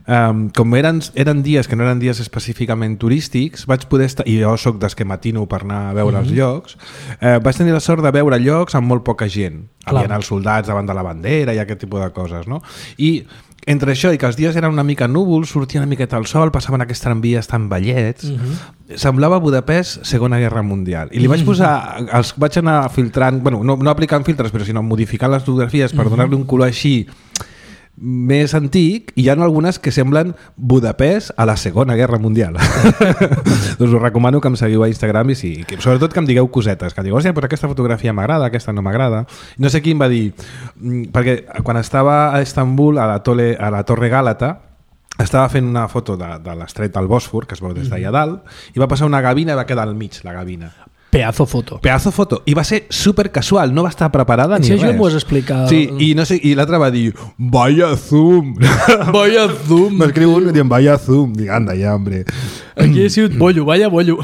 Um, com eren, eren dies que no eren dies específicament turístics, vaig poder estar, i jo soc dels que matino per anar a veure mm-hmm. els llocs, eh, vaig tenir la sort de veure llocs amb molt poca gent. Hi havia els soldats davant de la bandera i aquest tipus de coses, no? I entre això i que els dies eren una mica núvols, sortia una miqueta el sol, passaven aquests tramvies tan vellets, mm-hmm. semblava Budapest Segona Guerra Mundial. I li vaig posar, els vaig anar filtrant, bueno, no, no aplicant filtres, però sinó modificant les fotografies per mm-hmm. donar-li un color així més antic, i hi ha algunes que semblen Budapest a la Segona Guerra Mundial. Doncs us recomano que em seguiu a Instagram i sí, que, sobretot que em digueu cosetes, que em digueu, hòstia, però aquesta fotografia m'agrada, aquesta no m'agrada. No sé qui em va dir, perquè quan estava a Estambul, a la, tole, a la Torre Gàlata, estava fent una foto de, de l'estret del Bòsfor, que es veu des d'allà dalt, i va passar una gavina i va quedar al mig, la gavina. Pedazo foto. Pedazo foto. I va ser super casual, no va estar preparada ni si res. Si això m'ho has explicat. Sí, i, no sé, i l'altre va dir, vaya zoom. Vaya zoom. M'escriu un i dient, vaya zoom. Dic, anda ja, hombre. Aquí he sigut bollo, vaya bollo.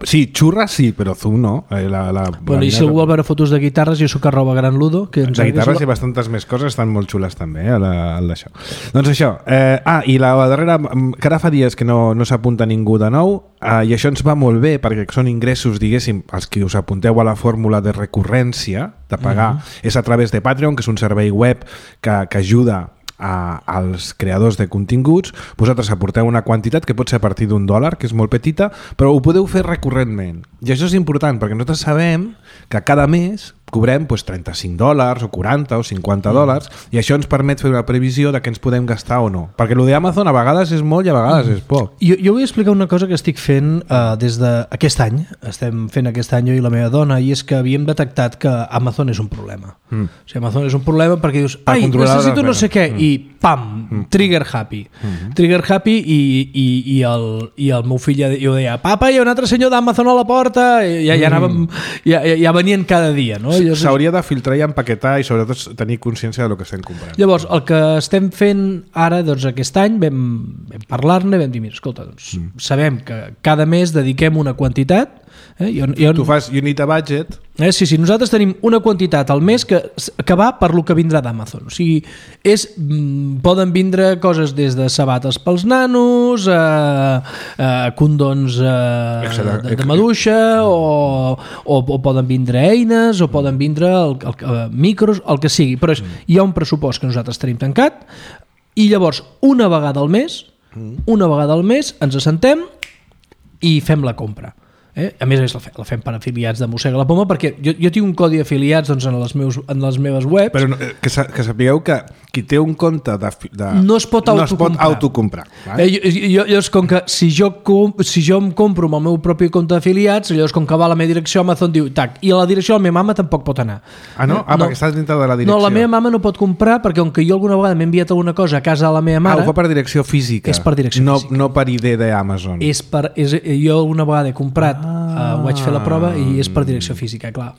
Sí, xurra sí, però zoom no. La, la, bueno, la I si algú vol veure fotos de guitarres, jo soc arroba gran ludo. Que de guitarres hi ha bastantes més coses, estan molt xules també, eh, al d'això. Doncs això. Eh, ah, i la darrera, que ara fa dies que no, no s'apunta ningú de nou, eh, i això ens va molt bé, perquè són ingressos, diguéssim, els que us apunteu a la fórmula de recurrència, de pagar, uh-huh. és a través de Patreon, que és un servei web que, que ajuda a, als creadors de continguts. Vosaltres aporteu una quantitat que pot ser a partir d'un dòlar, que és molt petita, però ho podeu fer recurrentment. I això és important, perquè nosaltres sabem que cada mes cobrem pues, trenta-cinc dòlars o quaranta o cinquanta mm. dòlars i això ens permet fer una previsió de què ens podem gastar o no. Perquè el d'Amazon a vegades és molt i a vegades mm. és poc. Jo, jo vull explicar una cosa que estic fent uh, des d'aquest any, estem fent aquest any jo i la meva dona, i és que havíem detectat que Amazon és un problema. Mm. O sigui, Amazon és un problema perquè dius, ai, necessito no sé què, mm. i pam, mm. trigger happy. Mm. Trigger happy i, i, i, el, i el meu fill ja, jo deia, papa, hi ha un altre senyor d'Amazon a la porta, i ja, ja, anàvem, ja, ja venien cada dia. No? S'hauria de filtrar i empaquetar i sobretot tenir consciència del que estem comprant. Llavors, el que estem fent ara, doncs aquest any, vam, vam parlar-ne, vam dir, mira, escolta, doncs, mm. sabem que cada mes dediquem una quantitat. Eh? Jo, jo, tu fas unit a budget. Eh? Sí, sí, nosaltres tenim una quantitat al mes que, que va per lo que vindrà d'Amazon. O sigui, és, poden vindre coses des de sabates pels nanos, a, a condons a, de, de maduixa, o, o, o poden vindre eines, o poden vindre el, el, el, micros, el que sigui. Però és, hi ha un pressupost que nosaltres tenim tancat i llavors una vegada al mes, una vegada al mes ens assentem i fem la compra. Eh? A més a més la, la fem per afiliats de Mossega la Poma perquè jo, jo tinc un codi d'afiliats doncs, en, les meus, en les meves webs. Però que, que sapigueu que qui té un compte de, de, no es pot no autocomprar, es pot autocomprar eh? eh, jo, jo, llavors com que si jo, si jo em compro amb el meu propi compte d'afiliats, llavors com que va a la meva direcció Amazon diu tac, i a la direcció de la meva mama tampoc pot anar. Ah no? Ah, no. Perquè estàs dintre de la direcció. No, la meva mama no pot comprar perquè com que jo alguna vegada m'he enviat alguna cosa a casa de la meva mare... Ah, ho fa per direcció física. És per direcció no, física. No per I D d'Amazon. És per, és, jo alguna vegada he comprat ah. uh, vaig fer la prova i és per direcció física, clar,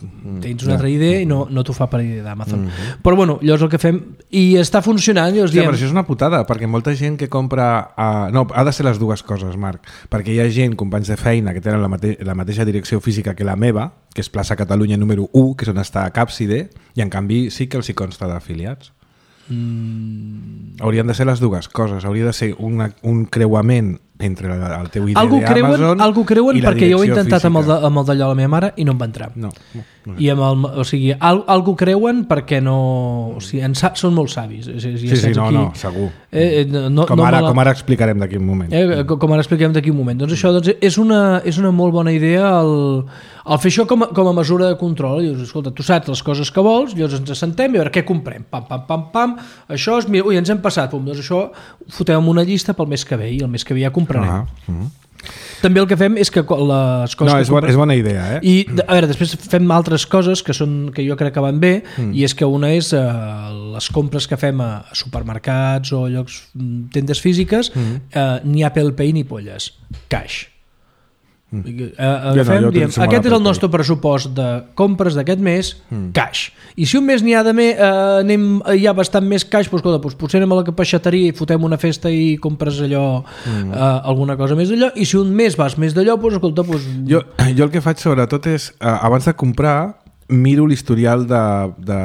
tens una altra idea i no, no t'ho fa per I D d'Amazon. Mm-hmm. Però bueno, llavors el que fem i està funcionant, llavors Hòstia, diem... però això és una putada, perquè molta gent que compra uh, no, ha de ser les dues coses, Marc, perquè hi ha gent, companys de feina que tenen la, mate la mateixa direcció física que la meva, que és plaça Catalunya número u, que és on està Capside, i en canvi sí que els hi consta d'afiliats. Mm. Haurien de ser les dues coses, hauria de ser una, un creuament entre el teu I D d'Amazon algú creuen i la perquè jo ho he intentat física. amb el, de, amb el d'allò de la meva mare i no em va entrar. No, no, no. I amb el, o sigui, al, algú creuen perquè no... O sigui, en, són molt savis. És, és, sí, sí, no, aquí, no, segur. Eh, no, com, ara, no la... com ara explicarem d'aquí un moment. Eh, com ara explicarem d'aquí un moment. Doncs això doncs, és, una, és una molt bona idea el, el fer això com a, com a mesura de control. Llavors, escolta, tu saps les coses que vols, llavors ens assentem i a veure què comprem. Pam, pam, pam, pam. Això és... Mira, ui, ens hem passat. Pum, doncs això ho fotem en una llista pel mes que ve i el mes que ve ja comprarem. Ah, uh -huh. També el que fem és que les coses... No, és, que bona, és bona idea, eh? I, a veure, després fem altres coses que, són, que jo crec que van bé, mm. i és que una és eh, les compres que fem a supermercats o llocs, tendes físiques, mm. eh, ni Apple Pay ni polles. Cash. Mm. Eh, eh, fem, no, diem, aquest és el nostre pressupost de compres d'aquest mes, mm. cash. I si un mes n'hi ha de més, eh, anem, hi ha bastant més cash, doncs, escolta, doncs potser anem a la peixateria i fotem una festa i compres allò, mm. eh, alguna cosa més d'allò, i si un mes vas més d'allò, doncs escolta... Doncs... Jo, jo el que faig sobretot és, eh, abans de comprar, miro l'historial de, de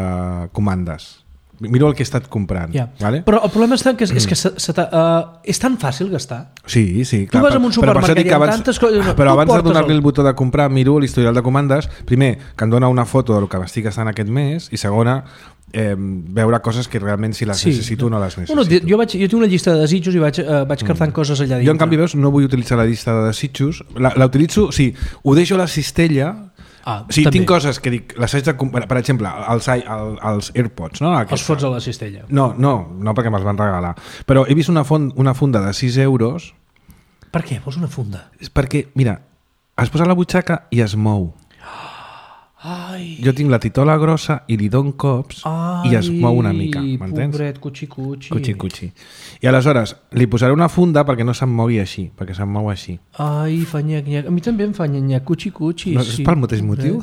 comandes. Miro el que he estat comprant. Ja. Vale? Però el problema està que és, és que se, se uh, és tan fàcil gastar. Sí, sí. Clar, tu vas a un supermercat i abans, tantes coses... No, però abans de donar-li el... el botó de comprar, miro l'historial de comandes. Primer, que em dona una foto del que m'estic gastant aquest mes, i segona, eh, veure coses que realment si les sí. necessito o no les necessito. Bueno, jo, vaig, jo tinc una llista de desitjos i vaig, uh, vaig cartant mm. coses allà dintre. Jo, en canvi, veus, no vull utilitzar la llista de desitjos. La, la utilitzo, sí, ho deixo a la cistella. Ah, sí, tinc coses que dic, les haig de comprar, per exemple, els, els AirPods, no? Els fots a la cistella. No, no, no perquè me'ls van regalar. Però he vist una, font, una funda de sis euros. Per què? Vols una funda? És perquè, mira, es posa a la butxaca i es mou. Ai. Jo tinc la titola grossa i li dono cops. Ai, i es mou una mica, m'entens? Pobret, cuchi, cuchi. Cuchi, cuchi. I aleshores li posaré una funda perquè no se'm mogui així, perquè se'm mou així. Ai, fa nyec, nyec. A mi també em fa nyec, nyec, cuchi, cuchi. No, sí. És pel mateix motiu?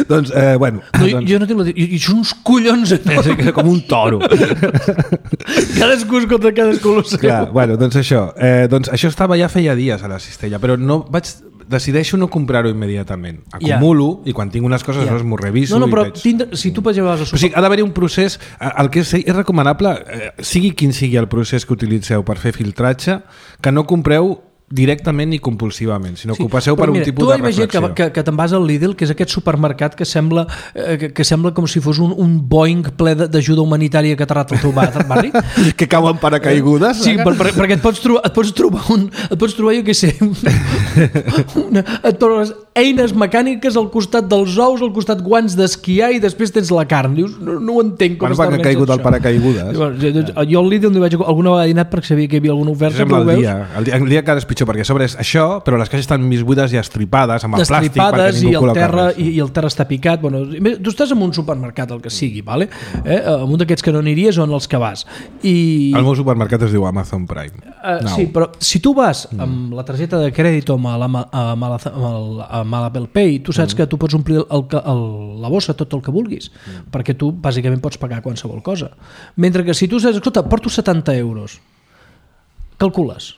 Doncs, eh, bueno... No, doncs... Jo no tinc la... I són uns collons... Eh? Com un toro. Cadascú és contra cadascú. Clar, bueno, doncs això. Eh, doncs això estava ja feia dies a la cistella, però no vaig... Decideixo no comprar-ho immediatament. Acumulo yeah. i quan tinc unes coses yeah. no m'ho reviso. No, no, però i veig... tindre, si tu vas a... O sigui, ha d'haver un procés... El que és, és recomanable, eh, sigui quin sigui el procés que utilitzeu per fer filtratge, que no compreu directament i compulsivament, sinó Sí, que ho passeu per mira, un tipus de reflexió. Tu que, que, que te'n vas al Lidl, que és aquest supermercat que sembla, eh, que, que sembla com si fos un, un Boeing ple d'ajuda humanitària que ha aterrat al teu barri. Que cauen paracaigudes. Sí, per, per, perquè et pots trobar, et pots trobar un, et pots trobar, jo què sé, una, et trobes eines mecàniques al costat dels ous, al costat guants d'esquiar i després tens la carn. Dius, no, no ho entenc com Bueno, està perquè ha caigut el paracaigudes. Jo, jo, jo al Lidl n'hi vaig alguna vegada dinat perquè sabia que hi havia alguna oferta. Sembla el dia, el dia, el dia que ara és pitjor, perquè a sobre és això, però les caixes estan mig buides i estripades amb el plàstic perquè ningú i el col·loca terra, res. i, i el terra està picat. Bueno, tu estàs en un supermercat, el que sigui, vale? eh? en un d'aquests que no aniries o en els que vas. I... El meu supermercat es diu Amazon Prime. Uh, no. Sí, però si tu vas amb la targeta de crèdit o amb la, amb la, amb l'Apple Pay, tu saps mm. que tu pots omplir el, el, la bossa tot el que vulguis, mm. perquè tu bàsicament pots pagar qualsevol cosa. Mentre que si tu saps, escolta, porto setanta euros, calcules,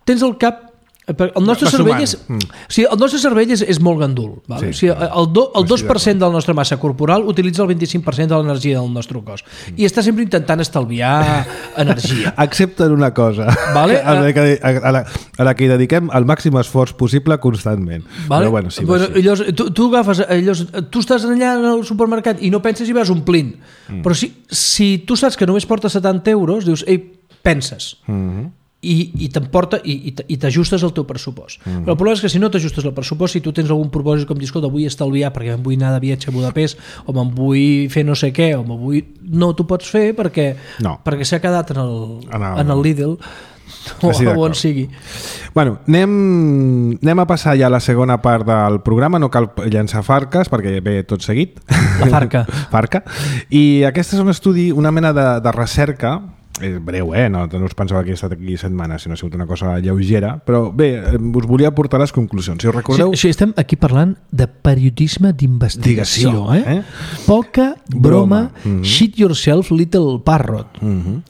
tens el cap. El nostre cervell és, mm. o sigui, el nostre cervell és, és molt gandul. Val? Sí, o sigui, el, do, el dos per cent de la nostra massa corporal utilitza el vint-i-cinc per cent de l'energia del nostre cos. Mm. I està sempre intentant estalviar energia. Excepte en una cosa, vale? a, la que, a, la, a la que hi dediquem el màxim esforç possible constantment. Vale? Però bueno, sí, bueno, sí. Llavors, tu, tu agafes, llavors, tu estàs allà al supermercat i no penses i vas omplint. Mm. Però si, si tu saps que només porta setanta euros, dius, ei, penses. Mm-hmm. i, i t'emporta i, i t'ajustes al teu pressupost. Mm. Però el problema és que si no t'ajustes al pressupost, si tu tens algun propòsit com dir, escolta, vull estalviar perquè me'n vull anar de viatge a Budapest o me'n vull fer no sé què o me'n vull... No t'ho pots fer perquè, no. perquè s'ha quedat en el, en el, en el Lidl o sí, on sigui. Bueno, anem, anem a passar ja a la segona part del programa, no cal llançar farques perquè ve tot seguit. La farca. Farca. I aquest és un estudi, una mena de, de recerca, és breu, eh? No, no us pensava que he estat aquí setmanes, sinó ha sigut una cosa lleugera, però bé, us volia portar les conclusions. Si us recordeu... Sí, sí, estem aquí parlant de periodisme d'investigació, eh? eh? Poca broma, broma. Mm-hmm. Shit yourself, little parrot. Mm-hmm.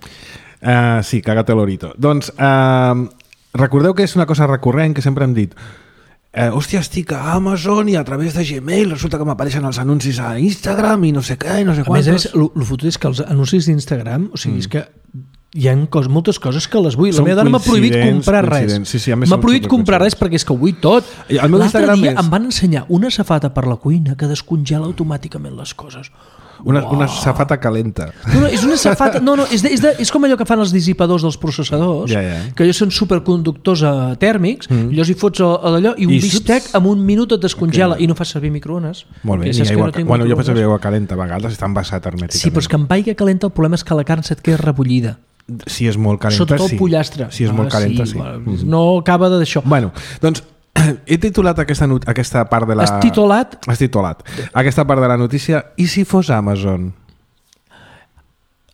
Uh, sí, cagate l'orito. Doncs uh, recordeu que és una cosa recurrent que sempre hem dit eh, hòstia, estic a Amazon i a través de Gmail resulta que m'apareixen els anuncis a Instagram i no sé què i no sé quantos. A més, el, el fotut és que els anuncis d'Instagram, o sigui, mm. és que hi ha cos, moltes coses que les vull. La meva dona m'ha prohibit comprar res. Sí, sí, m'ha prohibit comprar res perquè és que ho vull tot. L'altre dia és... em van ensenyar una safata per la cuina que descongela automàticament les coses. Una, wow. una safata calenta. No, no, és una safata... No, no, és, de, és, de, és com allò que fan els dissipadors dels processadors, ja, ja. que ells són superconductors uh, tèrmics, mm. llavors hi fots a, a d'allò i un I bistec sups... en un minut et descongela okay. i no fas servir microones. Molt bé, ni aigua, no bueno, jo faig servir aigua calenta a vegades, està envasat hermèticament. Sí, però és que amb aigua calenta el problema és que la carn se't queda rebullida. Si és molt calenta, sota el sí. pollastre. Si és molt ah, calenta, sí. sí. Mm. No acaba d'això. Bueno, doncs he titulat aquesta, aquesta part de la... Has titulat? Has titulat. Aquesta part de la notícia, i si fos Amazon?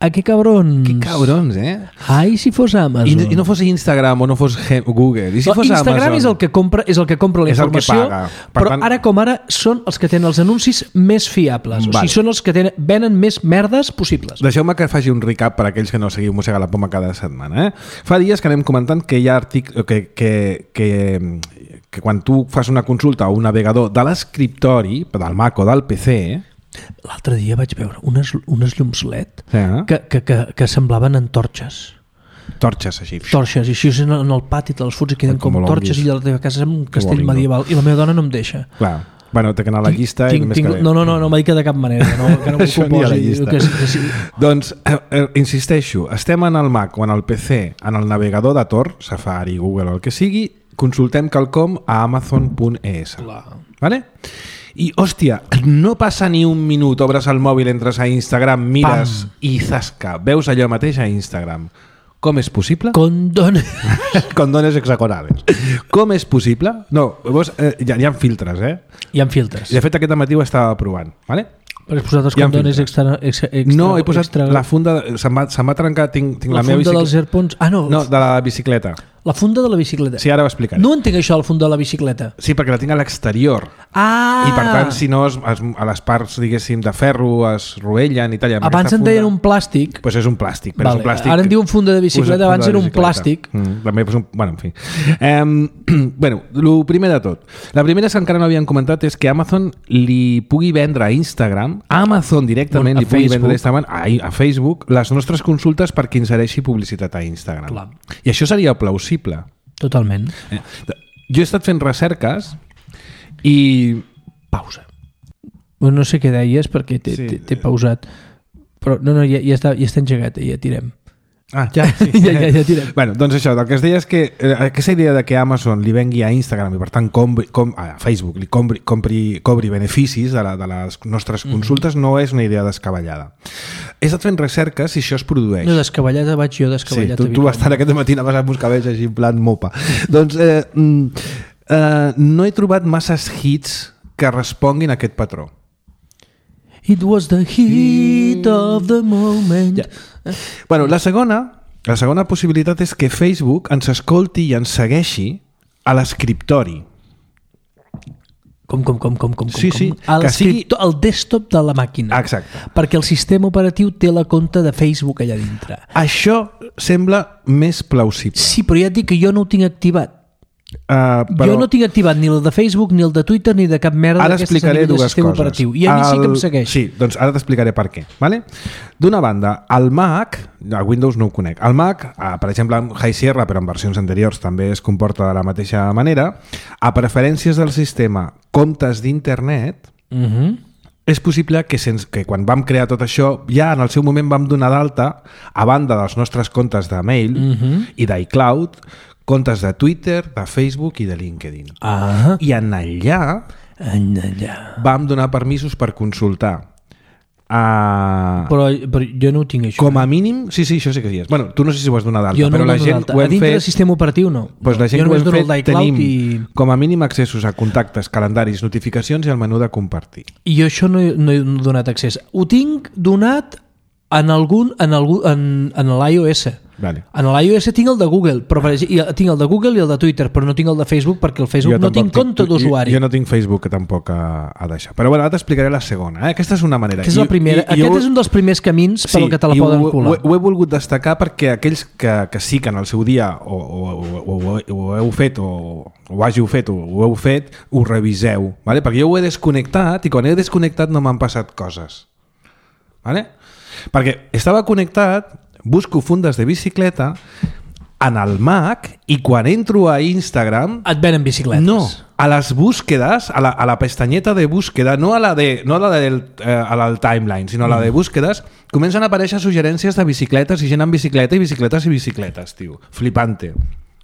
A què cabrons? Que cabrons, eh? Ai, si fos Amazon. I, i no fos Instagram o no fos Google. I si no, fos Instagram Amazon? és el que compra, és el que compra la informació, però tant... ara com ara són els que tenen els anuncis més fiables. Vale. O sigui, són els que tenen, venen més merdes possibles. Deixeu-me que faci un recap per a aquells que no seguiu Mossega la Poma cada setmana. Eh? Fa dies que anem comentant que hi ha artic... que, que, que, que quan tu fas una consulta a un navegador de l'escriptori, del Mac o del P C... L'altre dia vaig veure unes, unes llums L E D sí. que, que, que, que semblaven antorxes. Torxes, així. Torxes, i així en el pati te'ls fots i queden com, com torxes i a la teva casa és un castell medieval i la meva dona no em deixa. Clar. Bueno, té que anar a la llista tinc, i tinc, que... No, no, no, no m'ha dit que de cap manera, no, que no m'ho proposi. Que, que sí. Doncs, eh, eh, insisteixo, estem en el Mac o en el P C, en el navegador de Tor, Safari, Google o el que sigui, consultem quelcom a amazon punt e s. Vale? I, hòstia, no passa ni un minut, obres el mòbil, entres a Instagram, mires Pam. i zasca, veus allò mateix a Instagram. Com és possible? Condones. Condones hexagonales. Com és possible? No, veus, eh, hi, ha, hi ha filtres, eh? Hi ha filtres. I de fet aquest matí ho estava provant, vale? Però has posat els condones extra, extra, extra... No, he posat extra... la funda... Se'm va, se'm va trencar, tinc, tinc la, la meva bicicleta. La funda dels AirPods... Ah, no. No, de la bicicleta. La funda de la bicicleta. Sí, ara ho explicaré. No entenc això, la funda de la bicicleta. Sí, perquè la tinc a l'exterior. Ah! I per tant, si no, es, es, a les parts, diguéssim, de ferro es rovellen i tal. Abans en deien un plàstic. Doncs pues és un plàstic. Però vale. és un plàstic. Ara en diuen funda de bicicleta, abans era un plàstic. Mm, també, pues un, bueno, en fi. Um, bueno, el primer de tot. La primera que encara no havien comentat és que Amazon li pugui vendre a Instagram, Amazon directament bueno, li pugui vendre a Instagram, a, a Facebook, les nostres consultes perquè insereixi publicitat a Instagram. Clar. I això seria plausible. Totalment. Eh? Jo he estat fent recerques i... Pausa. Bueno, no sé què deies perquè t'he Sí. sí. pausat. Però no, no, ja, ja, està, ja està engegat, ja tirem. Ah, ja, sí. ja, ja, ja tirem. Bueno, doncs això, el que es deia és que eh, aquesta idea de que Amazon li vengui a Instagram i per tant compri, com, a Facebook li compri, compri, cobri beneficis de, la, de les nostres consultes, mm-hmm. no és una idea descabellada. He estat fent recerques si això es produeix. No, descabellada vaig jo, descabellada. Sí, tu, tu vas estar aquest matí anaves amb uns cabells així en plan mopa. doncs eh, mm, eh, no he trobat masses hits que responguin a aquest patró. It was the heat of the moment. Ja. Bueno, la segona, la segona possibilitat és que Facebook ens escolti i ens segueixi a l'escriptori. Com, com, com, com, com, Sí, com? sí, Al que sigui- el desktop de la màquina. Exacte. Perquè el sistema operatiu té la compte de Facebook allà dintre. Això sembla més plausible. Sí, però ja et dic que jo no ho tinc activat. Uh, però Jo no tinc activat ni el de Facebook, ni el de Twitter, ni de cap merda ara d'aquestes explicaré a nivell de dues sistema coses. operatiu. I a mi sí que em segueix. Sí, doncs ara t'explicaré per què. Vale? D'una banda, el Mac, el Windows no ho conec, el Mac, eh, per exemple, amb High Sierra, però en versions anteriors també es comporta de la mateixa manera, a preferències del sistema, comptes d'internet, Uh -huh. és possible que, sense, que quan vam crear tot això, ja en el seu moment vam donar d'alta, a banda dels nostres comptes de mail Uh -huh. i d'iCloud, comptes de Twitter, de Facebook i de LinkedIn. Ah, I en allà allà. vam donar permisos per consultar. Uh, Però, però jo no ho tinc, això. com a mínim, sí, sí, això sí que sí és. Bueno, tu no sé si ho has donat d'alta, Jo no però ho la dono gent d'alta. ho A hem dintre del fet... sistema operatiu no. Pues la gent jo que ho només hem dono el fet d'iCloud tenim i... com a mínim accessos a contactes, calendaris, notificacions i el menú de compartir. I jo això no, he- no he donat accés. Ho tinc donat en algun en, algun, en, en l'iOS. Vale. En l'iOS tinc el de Google, però per exemple, i tinc el de Google i el de Twitter, però no tinc el de Facebook perquè el Facebook Jo no tampoc tinc compte d'usuari. Jo, jo no tinc Facebook que tampoc ha, ha d'això. Però bueno, ara t'explicaré la segona. Eh? Aquesta és una manera. Que és la I- primera. i- i Aquest jo- és un dels primers camins per al que te la i poden ho, colar. Ho, ho he volgut destacar perquè aquells que, que sí que en el seu dia o, o, o, o, ho heu fet o ho hàgiu fet o ho heu fet, ho reviseu. Vale? Perquè jo ho he desconnectat i quan he desconnectat no m'han passat coses. Vale? Perquè estava connectat, busco fundes de bicicleta en el Mac i quan entro a Instagram Et venen bicicletes. no, a les búsquedes, a la, a la pestanyeta de búsqueda, no a la, de, no a la del eh, a la del timeline, sinó a la de búsquedes, comencen a aparèixer suggerències de bicicletes i gent en bicicleta i bicicletes i bicicletes, tio. Flipante.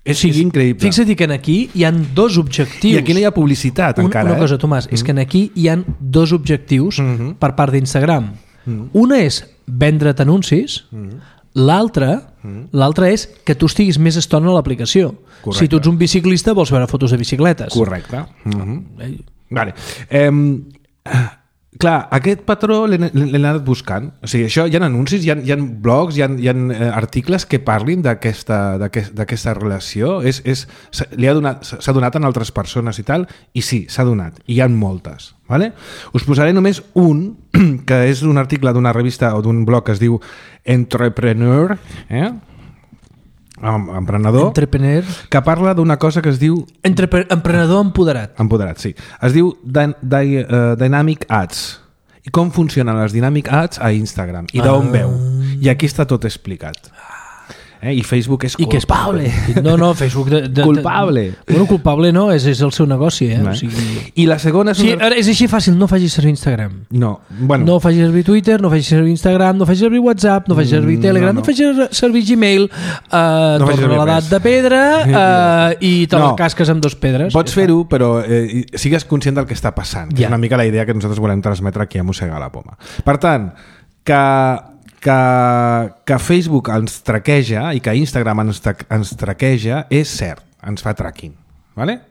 És, Sí, és increïble. Fixa't que en aquí hi han dos objectius. I aquí no hi ha publicitat Un, encara. una cosa, eh? Tomàs, és que en aquí hi han dos objectius Mhm. per part d'Instagram. Mhm. Una és vendre't anuncis, l'altra l'altra és que tu estiguis més estona a l'aplicació. Correcte. Si tu ets un biciclista vols veure fotos de bicicletes. Correcte. Mhm. Eh, Vale. Eh, clar, aquest patró l'he l'he anat buscant. O sigui, això, hi ha anuncis, hi ha, hi ha blogs, hi ha, hi ha eh, articles que parlin d'aquesta d'aquest- d'aquesta relació. És, és, s'ha- li ha donat, s'ha donat en altres persones i tal, i sí, s'ha donat. I hi ha moltes. Vale? Us posaré només un, que és un article d'una revista o d'un blog que es diu Entrepreneur, eh? Em- emprenedor, Entrepreneur, que parla d'una cosa que es diu entrepre, emprenedor empoderat. Empoderat, sí. Es diu Dy Dy uh, Dynamic Ads. I com funcionen les Dynamic Ads a Instagram. I d'on Ah. veu. I aquí està tot explicat. Eh? I Facebook és I que és culpable. No, no, Facebook... De, de, Culpable. De, bueno, culpable no, és, és el seu negoci, eh? Eh? O sigui, I la segona és sí, una... ara és així fàcil, no facis servir Instagram. No, bueno, No facis servir Twitter, no facis servir Instagram, no facis servir WhatsApp, no facis servir Mm, Telegram, no, no, no. facis servir Gmail, uh, No facis torna servir l'edat res. de pedra uh, i te No. la casques amb dos pedres. pots fer-ho, però eh, sigues conscient del que està passant. Que Ja. És una mica la idea que nosaltres volem transmetre aquí a Mossegar la Poma. Per tant, que, que, que Facebook ens traqueja i que Instagram ens, tra ens traqueja és cert, ens fa tracking. Vale?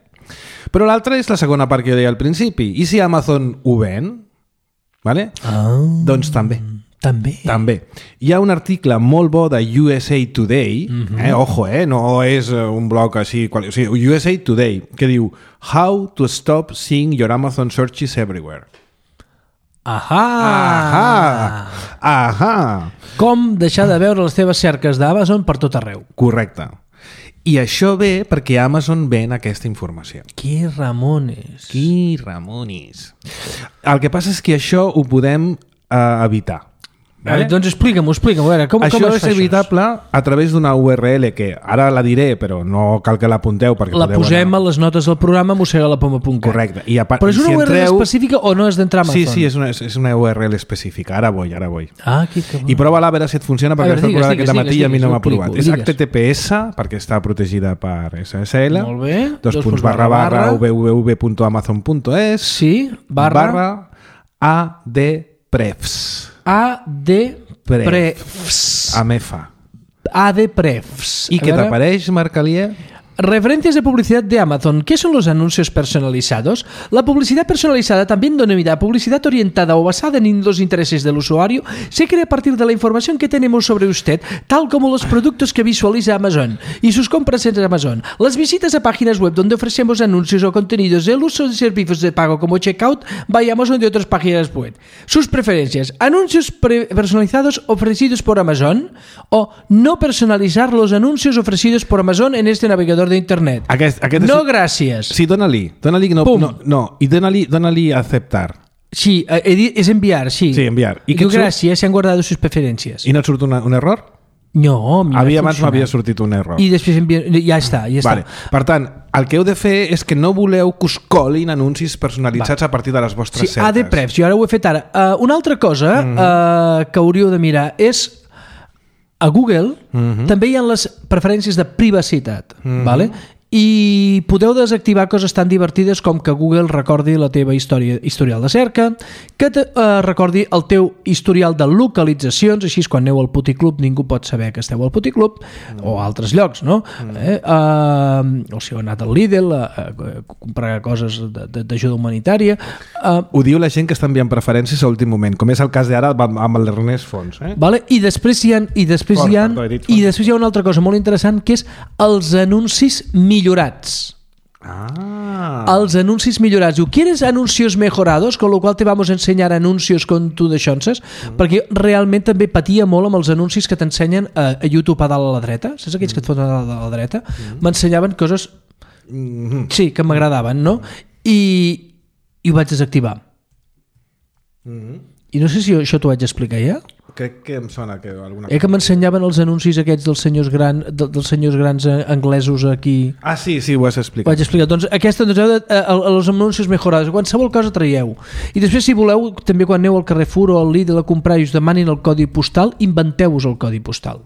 Però l'altra és la segona part que jo deia al principi. I si Amazon ho ven? Vale? Ah, Doncs també. també. També. Hi ha un article molt bo de U S A Today, Mhm. eh, ojo, eh, no és eh, un blog així, qual, o sigui, U S A Today, que diu How to stop seeing your Amazon searches everywhere. Ahà! Ahà! Ahà! Com deixar de veure les teves cerques d'Amazon per tot arreu. Correcte. I això ve perquè Amazon ven aquesta informació. Qui Ramones? Qui Ramonis. El que passa és que això ho podem eh, evitar. Vale? Doncs explica'm-ho, explica'm, a veure, com, això com es és fa evitable això? a través d'una U R L que ara la diré, però no cal que l'apunteu perquè la podeu posem anar... a les notes del programa mossega la poma punt cat. Correcte. I a part, però és una si U R L entreu... específica o no és d'entrar a Amazon? Sí, sí, és una, és una U R L específica. Ara vull, ara vull. Ah, que I prova-la a veure si et funciona, perquè veure, està digues, provant digues, aquest matí digues, i a mi no m'ha digues, provat. digues. És H T T P S, perquè està protegida per S S L. Molt bé. Dos, dos punts barra barra www punt amazon punt es. Sí, barra... barra adprefs. adprefs. Amefa. adprefs. ¿Y qué te apareix, Marc Alier? Referencias de publicidad de Amazon. ¿Qué son los anuncios personalizados? La publicidad personalizada, también denominada publicidad orientada o basada en los intereses del usuario, se crea a partir de la información que tenemos sobre usted, tal como los productos que visualiza Amazon y sus compras en Amazon, las visitas a páginas web donde ofrecemos anuncios o contenidos, el uso de servicios de pago como Checkout by Amazon de otras páginas web. Sus preferencias. Anuncios personalizados ofrecidos por Amazon o no personalizar los anuncios ofrecidos por Amazon en este navegador de internet. Aquest, aquest no, és... gràcies. Sí, dona-li. Dona-li no, no, no. I dona-li dona-li aceptar. Sí, eh, es enviar, sí. Sí, enviar. I, I diu gràcies, se han guardado sus preferencias. I no et surt una, un error? No, havia abans m'havia sortit un error. I després envia... ja està, ja vale. està. Per tant, el que heu de fer és que no voleu que us colin anuncis personalitzats vale. a partir de les vostres sí, cerques. adprefs, jo ara ho he fet ara. Uh, una altra cosa mm -hmm. uh, que hauríeu de mirar és a Google mm -hmm. també hi ha les preferències de privacitat, mm -hmm. vale? I podeu desactivar coses tan divertides com que Google recordi la teva història, historial de cerca, que te, uh, recordi el teu historial de localitzacions, així quan aneu al puticlub ningú pot saber que esteu al puticlub, mm. o a altres llocs, no? Mm. Eh? Uh, o si heu anat al Lidl a, a, a comprar coses d'ajuda humanitària. Uh, Ho diu la gent que està enviant preferències a últim moment, com és el cas d'ara amb l'Ernest Fons. Eh? Vale? I després hi ha, i després Fons, hi ha, perdó, i després hi ha una altra cosa molt interessant que és els anuncis millorats. Ah. Els anuncis millorats. Diu, ¿quieres anuncios mejorados? Con lo cual te vamos a ensenyar anuncios con tu d'aixonses, mm. perquè realment també patia molt amb els anuncis que t'ensenyen a, a YouTube a dalt a la dreta. Saps aquells mm. que et foten a dalt a la dreta? M'ensenyaven mm. coses mm. sí, que m'agradaven, no? I, i ho vaig desactivar. Mm. I no sé si això t'ho vaig explicar ja. Crec que em sona que alguna cosa... Eh, que m'ensenyaven els anuncis aquests dels senyors, gran, de, dels senyors grans anglesos aquí. Ah, sí, sí, ho has explicat. Vaig explicar. Doncs aquesta, doncs, heu de, eh, els anuncis mejorados, qualsevol cosa traieu. I després, si voleu, també quan aneu al Carrefour o al Lidl a comprar i us demanin el codi postal, inventeu-vos el codi postal.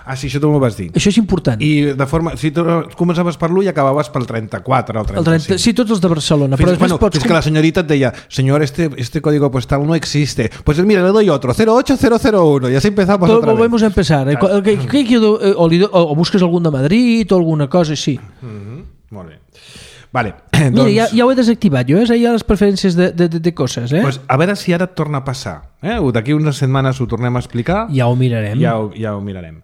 Ah, sí, això tu m'ho vas dir. Això és important. I de forma... Si tu començaves per l'u i acabaves pel trenta-quatre o el trenta-cinc. El trenta, sí, tots els de Barcelona. Fins, però bueno, pots... és que la senyorita et deia, señor, este, este código postal no existe. Pues mira, le doy otro, cero ocho cero cero uno. Y así empezamos Tot, otra vez. Volvemos a empezar. Eh? Claro. Que, que, que, o, li, o busques algun de Madrid o alguna cosa així. Mm-hmm. Molt bé. Vale, Mira, doncs... ja, ja ho he desactivat jo, eh? Hi ha les preferències de, de, de coses. Eh? Pues a veure si ara et torna a passar. Eh? D'aquí unes setmanes ho tornem a explicar. Ja ho mirarem. Ja ho, ja ho mirarem.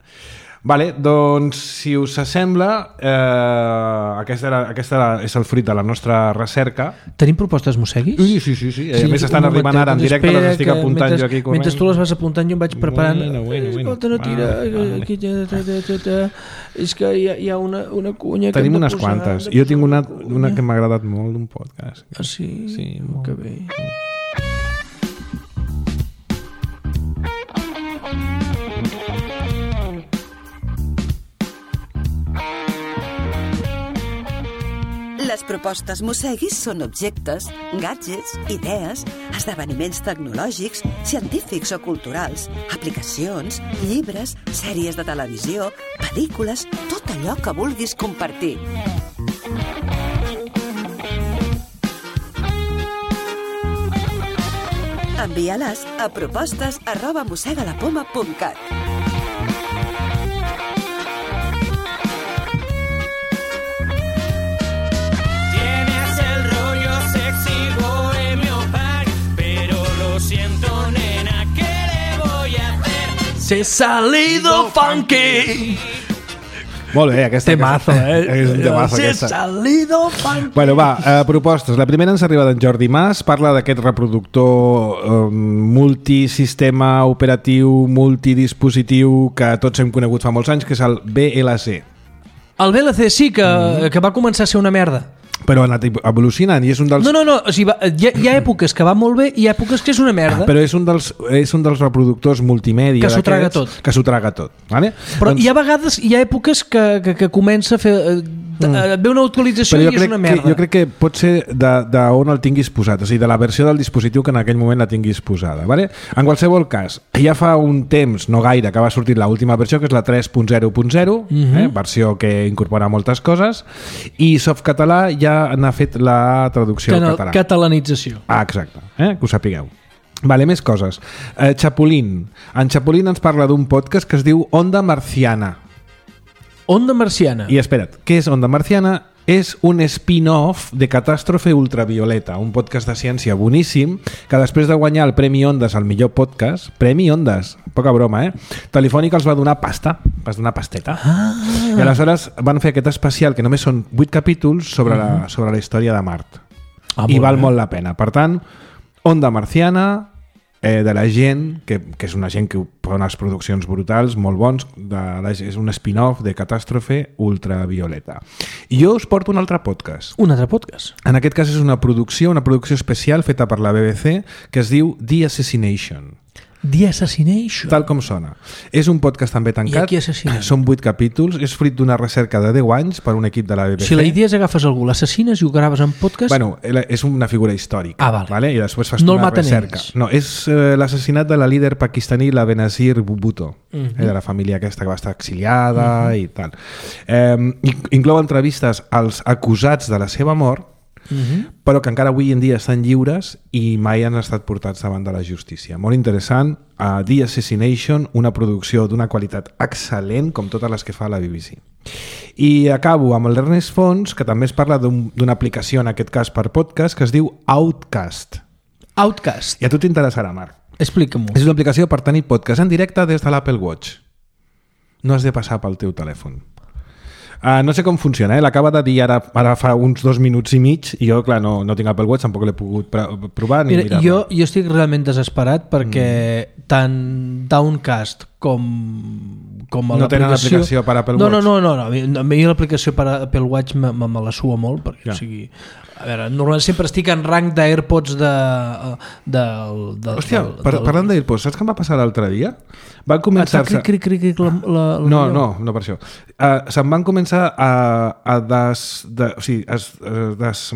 Vale, doncs, si us sembla, eh, aquesta, era, aquesta era, és el fruit de la nostra recerca. Tenim propostes mosseguis? Sí, sí, sí. sí. sí a més, estan arribant ara en directe, les estic apuntant mentre, jo aquí corrent. Mentre tu les vas apuntant, jo em vaig preparant. Bueno, bueno, bueno. Escolta, no tira. Ah, aquí, ta, ta, ta, ta. És que hi ha, hi ha una, una cunya que tenim hem de unes posar, quantes. de Jo tinc una, una, una que m'ha agradat molt d'un podcast. Ah, sí? Sí, molt. Que bé. Les propostes Mosseguis són objectes, gadgets, idees, esdeveniments tecnològics, científics o culturals, aplicacions, llibres, sèries de televisió, pel·lícules, tot allò que vulguis compartir. Envia-les a propostes arroba mossegalapoma punt cat. Se salido funky. Molt bé, aquesta... Temazo, eh? És un temazo, Se aquesta. salido funky. Bueno, va, eh, propostes. La primera ens arriba d'en Jordi Mas, parla d'aquest reproductor eh, multisistema operatiu, multidispositiu, que tots hem conegut fa molts anys, que és el V L C. El V L C sí, que, mm. que va començar a ser una merda. però ha anat evolucionant i és un dels... No, no, no, o sigui, va, hi, ha, hi ha èpoques que va molt bé i hi ha èpoques que és una merda. Però és un dels, és un dels reproductors multimèdia que s'ho traga tot. Que s'ho traga tot. Vale? Però doncs... hi ha vegades, hi ha èpoques que, que, que comença a fer... Mm. Ve una actualització i és una merda. Que, jo crec que pot ser d'on el tinguis posat, o sigui, de la versió del dispositiu que en aquell moment la tinguis posada. Vale? En qualsevol cas, ja fa un temps, no gaire, que va sortir l'última versió, que és la tres punt zero punt zero, mm-hmm. eh? versió que incorpora moltes coses, i Softcatalà ja n'ha fet la traducció Canal, al català. Catalanització. Ah, exacte, eh? que ho sapigueu. Vale, més coses. Eh, Chapulín. En Chapulín ens parla d'un podcast que es diu Onda Marciana. Onda Marciana. I espera't, què és Onda Marciana? És un spin-off de Catàstrofe Ultravioleta, un podcast de ciència boníssim que després de guanyar el Premi Ondas al millor podcast, Premi Ondas, poca broma, eh? Telefònica els va donar pasta, va donar pasteta. Ah. I aleshores van fer aquest especial, que només són vuit capítols, sobre, uh-huh. la, sobre la història de Mart. Ah, I val bé. molt la pena. Per tant, Onda Marciana... Eh, de la gent, que, que és una gent que fa unes produccions brutals, molt bons, de la, és un spin-off de Catàstrofe Ultravioleta. I jo us porto un altre podcast. Un altre podcast? En aquest cas és una producció, una producció especial feta per la B B C, que es diu The Assassination. The Assassination. Tal com sona. És un podcast també tancat. Són vuit capítols. És fruit d'una recerca de deu anys per un equip de la B B C. Si la idea és agafes algú, l'assassines i ho graves en podcast... Bueno, és una figura històrica. Ah, vale. Vale? I després fas no una recerca. Ells. No, és eh, l'assassinat de la líder pakistaní, la Benazir Bhutto, uh-huh. eh, de la família aquesta que va estar exiliada uh-huh. i tal. Eh, inclou entrevistes als acusats de la seva mort, Uh-huh. però que encara avui en dia estan lliures i mai han estat portats davant de la justícia. Molt interessant. uh, The Assassination, una producció d'una qualitat excel·lent, com totes les que fa la B B C. I acabo amb l'Ernest Fons, que també es parla d'un, d'una aplicació, en aquest cas per podcast, que es diu Outcast. Outcast. I a tu t'interessarà, Marc. Explica'm-ho. És una aplicació per tenir podcast en directe des de l'Apple Watch. No has de passar pel teu telèfon. Uh, no sé com funciona, eh? L'acaba de dir ara, ara fa uns dos minuts i mig i jo, clar, no, no tinc Apple Watch, tampoc l'he pogut provar ni mirar. Jo, jo estic realment desesperat perquè mm. tant Downcast com, com a no l'aplicació... tenen aplicació per Apple no, Watch? No, no, no, no. A mi l'aplicació per Apple Watch me, me, me la sua molt, perquè ja. o sigui... A veure, normalment sempre estic en rang d'AirPods de, de, de, Hòstia, del, par, del... parlant d'AirPods, saps què em va passar l'altre dia? Van començar... Cric, cric, cric, cric, la, la, la no, no, no per això. Uh, se'n van començar a, a des... De, o sigui, es, des,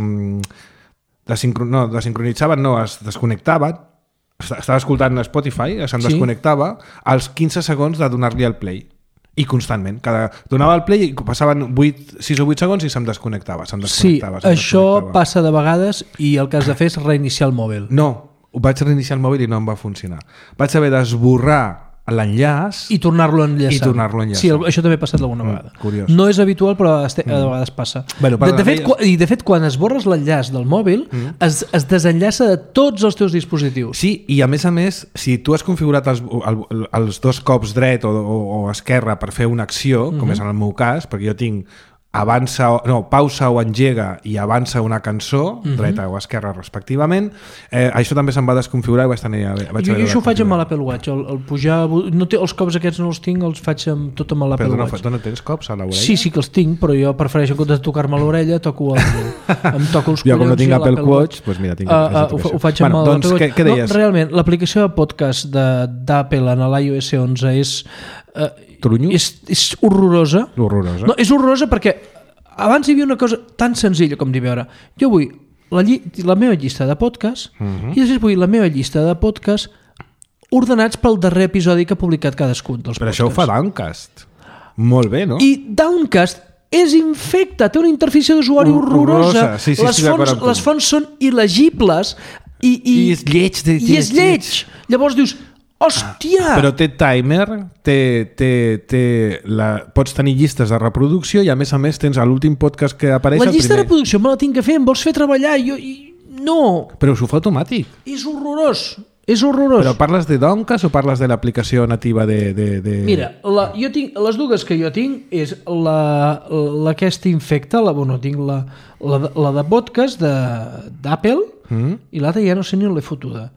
desincron, no, desincronitzaven, no, es desconnectaven. Estava escoltant Spotify, se'n sí. desconnectava als quinze segons de donar-li el play. I constantment. Cada, donava el play i passaven vuit, sis o vuit segons i se'm desconnectava. Se'm desconnectava sí, se'm això desconnectava. Passa de vegades i el que has de fer és reiniciar el mòbil. No, ho vaig reiniciar el mòbil i no em va funcionar. Vaig haver d'esborrar l'enllaç i tornar-lo a enllaçar. I tornar-lo a enllaçar. Sí, això també ha passat alguna vegada. Mm, curiós. No és habitual, però a vegades passa. Bueno, de, de, fet, quan, I de fet, quan esborres l'enllaç del mòbil, mm. es, es desenllaça de tots els teus dispositius. Sí, i a més a més, si tu has configurat els, el, els dos cops dret o, o, o esquerra per fer una acció, com mm-hmm. és en el meu cas, perquè jo tinc avança, no, pausa o engega i avança una cançó, uh-huh. dreta o esquerra respectivament, eh, això també se'm va desconfigurar i vaig tenir... Vaig jo, jo això ho faig amb l'Apple Watch, el, el pujar... No té, els cops aquests no els tinc, els faig amb, tot amb l'Apple Però Watch. Però no tens cops a l'orella? Sí, sí que els tinc, però jo prefereixo en comptes de tocar-me l'orella, toco el... em toco els collons. Jo com no tinc Apple Watch, doncs mira, tinc... Uh, uh, ho, ho faig amb bueno, doncs, què, què deies? No, realment, l'aplicació de podcast d'Apple en l'iOS onze és... Uh, és, és horrorosa. Horrorosa. No, és horrorosa perquè abans hi havia una cosa tan senzilla com dir, veure, jo vull la, lli la meva llista de podcast uh-huh. i després vull la meva llista de podcast ordenats pel darrer episodi que ha publicat cadascun dels Però podcasts. això ho fa Downcast. Molt bé, no? I Downcast és infecte, té una interfície d'usuari horrorosa. Sí, sí, les, fonts, les fonts són il·legibles i, i, I és lleig. De, i és lleig. Llavors dius, hòstia! Però té timer, té, té, té la, pots tenir llistes de reproducció i a més a més tens a l'últim podcast que apareix la llista primer. de reproducció me la tinc que fer, em vols fer treballar? Jo, i, no! Però s'ho fa automàtic. És horrorós, és horrorós. Però parles de Downcast o parles de l'aplicació nativa de... de, de... Mira, la, jo tinc, les dues que jo tinc és la, la aquesta infecta, la, bueno, tinc la, la, la de podcast d'Apple mm. i l'altra ja no sé ni on l'he fotuda.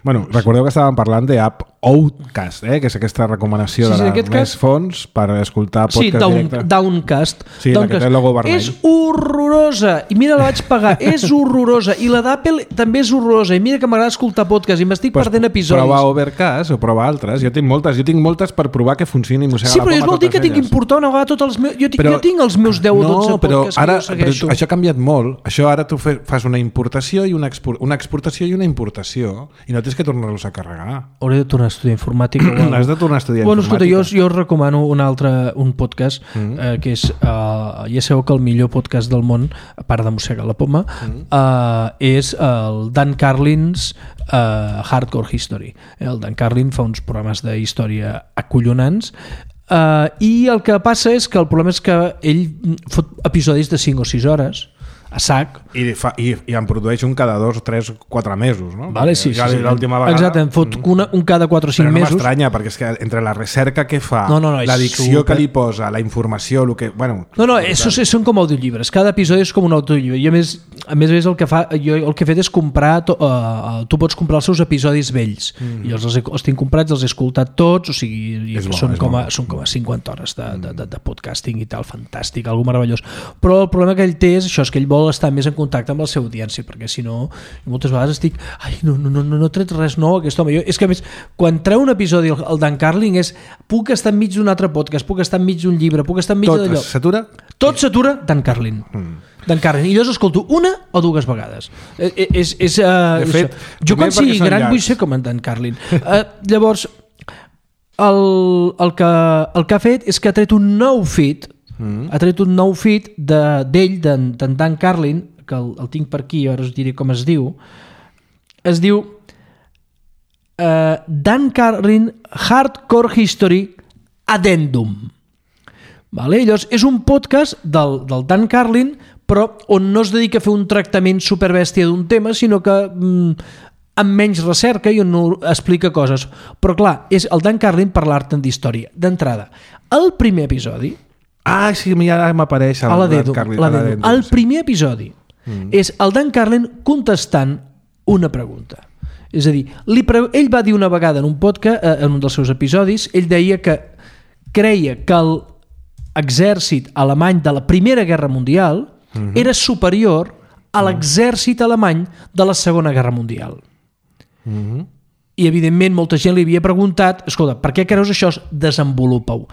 Bueno, recordeu que estàvem parlant d'app Outcast, eh? que és aquesta recomanació sí, sí, de les més cas... fons per escoltar podcast sí, down, directe. Downcast. Sí, Downcast. la que té el logo vermell. És horrorosa. I mira, la vaig pagar. És horrorosa. I la d'Apple també és horrorosa. I mira que m'agrada escoltar podcast i m'estic pues perdent episodis. Prova Overcast o prova altres. Jo tinc moltes. Jo tinc moltes per provar que funcioni Mossega sí, la Poma. Sí, però és vol dir que tinc que importar una vegada tots els meus... Jo, tinc, però, jo tinc els meus deu o dotze no, però podcasts ara, que jo segueixo. Però això ha canviat molt. Això ara tu fas una importació i una, expor una exportació i una importació i no tens que tornar-los a carregar. Hauré de tornar a estudiar informàtica. Has de tornar a estudiar bueno, escolta, informàtica. Jo, jo us recomano un altre un podcast mm. eh, que és, uh, ja sabeu que el millor podcast del món, a part de Mossega la Poma, mm. uh, és el Dan Carlin's uh, Hardcore History. El Dan Carlin fa uns programes de història acollonants uh, i el que passa és que el problema és que ell fot episodis de cinc o sis hores a sac. I, fa, i, i en produeix un cada dos, tres, quatre mesos, no? Vale, sí, ja sí, sí. L'última vegada... Exacte, en fot una, un cada quatre o cinc però no mesos. m'estranya, perquè és que entre la recerca que fa, no, no, no, l'addicció super... que li posa, la informació, el que... Bueno, no, no, això són com audiollibres. Cada episodi és com un audiollibre. I a més, a més, a més el que fa, jo el que he fet és comprar... To, uh, tu pots comprar els seus episodis vells. Mm. I els, els, he, els tinc comprats, els he escoltat tots, o sigui, i bo, són, com a, bo. són com a cinquanta hores de, de, de, de podcasting i tal, fantàstic, algo meravellós. Però el problema que ell té és això, és que ell vol estar més en contacte amb la seva audiència, perquè si no moltes vegades estic, ai, no, no, no, no he tret res nou aquest home. Jo, és que a més, quan treu un episodi el, el Dan Carlin és, puc estar enmig d'un altre podcast, puc estar enmig d'un llibre, puc estar enmig d'allò. Tot s'atura? Tot s'atura, Dan Carlin. Mm. Dan Carlin. I jo escolto una o dues vegades. Eh, és, és, uh, de fet, jo quan sigui gran vull ser com en Dan Carlin. Uh, llavors, el, el, que, el que ha fet és que ha tret un nou feed, mm. ha tret un nou feed d'ell, de, d'en Dan Carlin, que el, el tinc per aquí, ara us diré com es diu. Es diu uh, Dan Carlin Hardcore History Addendum. Vale? Llavors, és un podcast del, del Dan Carlin, però on no es dedica a fer un tractament superbèstia d'un tema, sinó que mm, amb menys recerca i on no explica coses. Però clar, és el Dan Carlin parlar-te'n d'història. D'entrada, el primer episodi... Ah, sí, ja m'apareix el Dan Carlin. El primer episodi Mm. és el Dan Carlin contestant una pregunta. És a dir, li pre... ell va dir una vegada en un podcast, eh, en un dels seus episodis, ell deia que creia que l'exèrcit alemany de la Primera Guerra Mundial mm-hmm. era superior a l'exèrcit alemany de la Segona Guerra Mundial. Mm-hmm. I evidentment molta gent li havia preguntat, escolta, per què creus això? Desenvolupa-ho.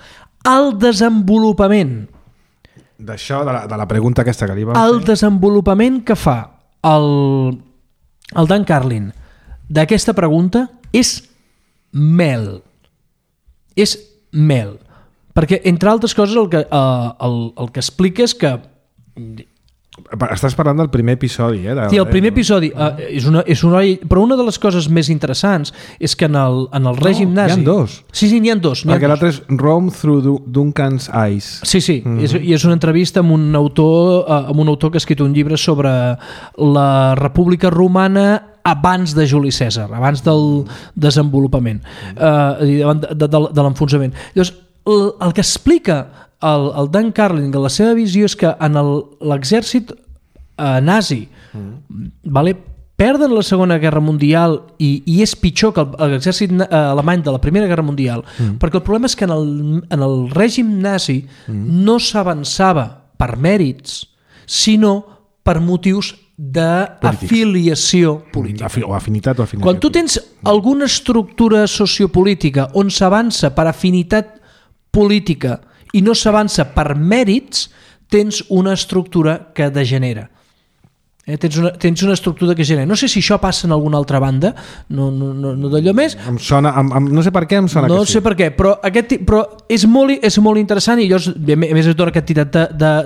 El desenvolupament d'això, de, la, de la pregunta aquesta que li vam el fer. Desenvolupament que fa el, el Dan Carlin d'aquesta pregunta és mel. És mel. Perquè, entre altres coses, el que, uh, el, el que explica és que... Estàs parlant del primer episodi, eh? De... Sí, el primer episodi uh, és una, és una... Però una de les coses més interessants és que en el, en el règim no, nazi... Hi ha dos. Sí, sí, n'hi ha dos. Perquè l'altre és Rome Through Duncan's Eyes. Sí, sí, mm-hmm. és, i és una entrevista amb un autor uh, amb un autor que ha escrit un llibre sobre la República Romana abans de Juli Cèsar, abans del desenvolupament, uh, de, de, de, de l'enfonsament. Llavors, el, el que explica el, el Dan Carlin, la seva visió és que en l'exèrcit eh, nazi mm. vale, perden la Segona Guerra Mundial i, i és pitjor que l'exèrcit eh, alemany de la Primera Guerra Mundial, mm. perquè el problema és que en el, en el règim nazi mm. no s'avançava per mèrits, sinó per motius d'afiliació política. O afinitat o afinitat. Quan tu tens alguna estructura sociopolítica on s'avança per afinitat política i no s'avança per mèrits, tens una estructura que degenera. Eh, tens, una, tens una estructura que genera. No sé si això passa en alguna altra banda, no, no, no, no d'allò més. Em sona, em, em, no sé per què em sona no que sí. No sé per què, però, aquest, però és, molt, és molt interessant i llavors, a més es dona aquest tirat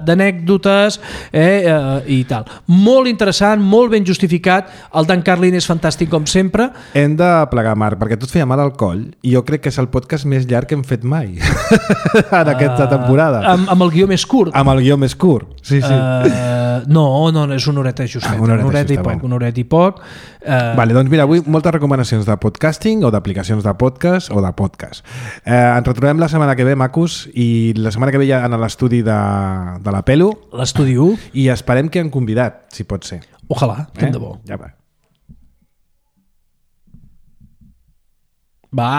d'anècdotes eh, eh, i tal. Molt interessant, molt ben justificat. El Dan Carlin és fantàstic com sempre. Hem de plegar, Marc, perquè tu et feia mal al coll i jo crec que és el podcast més llarg que hem fet mai en aquesta temporada. Uh, amb, amb el guió més curt. Amb el guió més curt, sí, sí. Uh, no, no, no, és una horeta justet, ah, una horeta, una horeta justa, i poc, bueno. una horeta i poc. Uh... Vale, doncs mira, avui moltes recomanacions de podcasting o d'aplicacions de podcast o de podcast. Eh, ens retrobem la setmana que ve, macos, i la setmana que ve ja en l'estudi de, de la Pelo. L'estudi u. I esperem que han convidat, si pot ser. Ojalà, tant eh? de bo. Ja va. Va.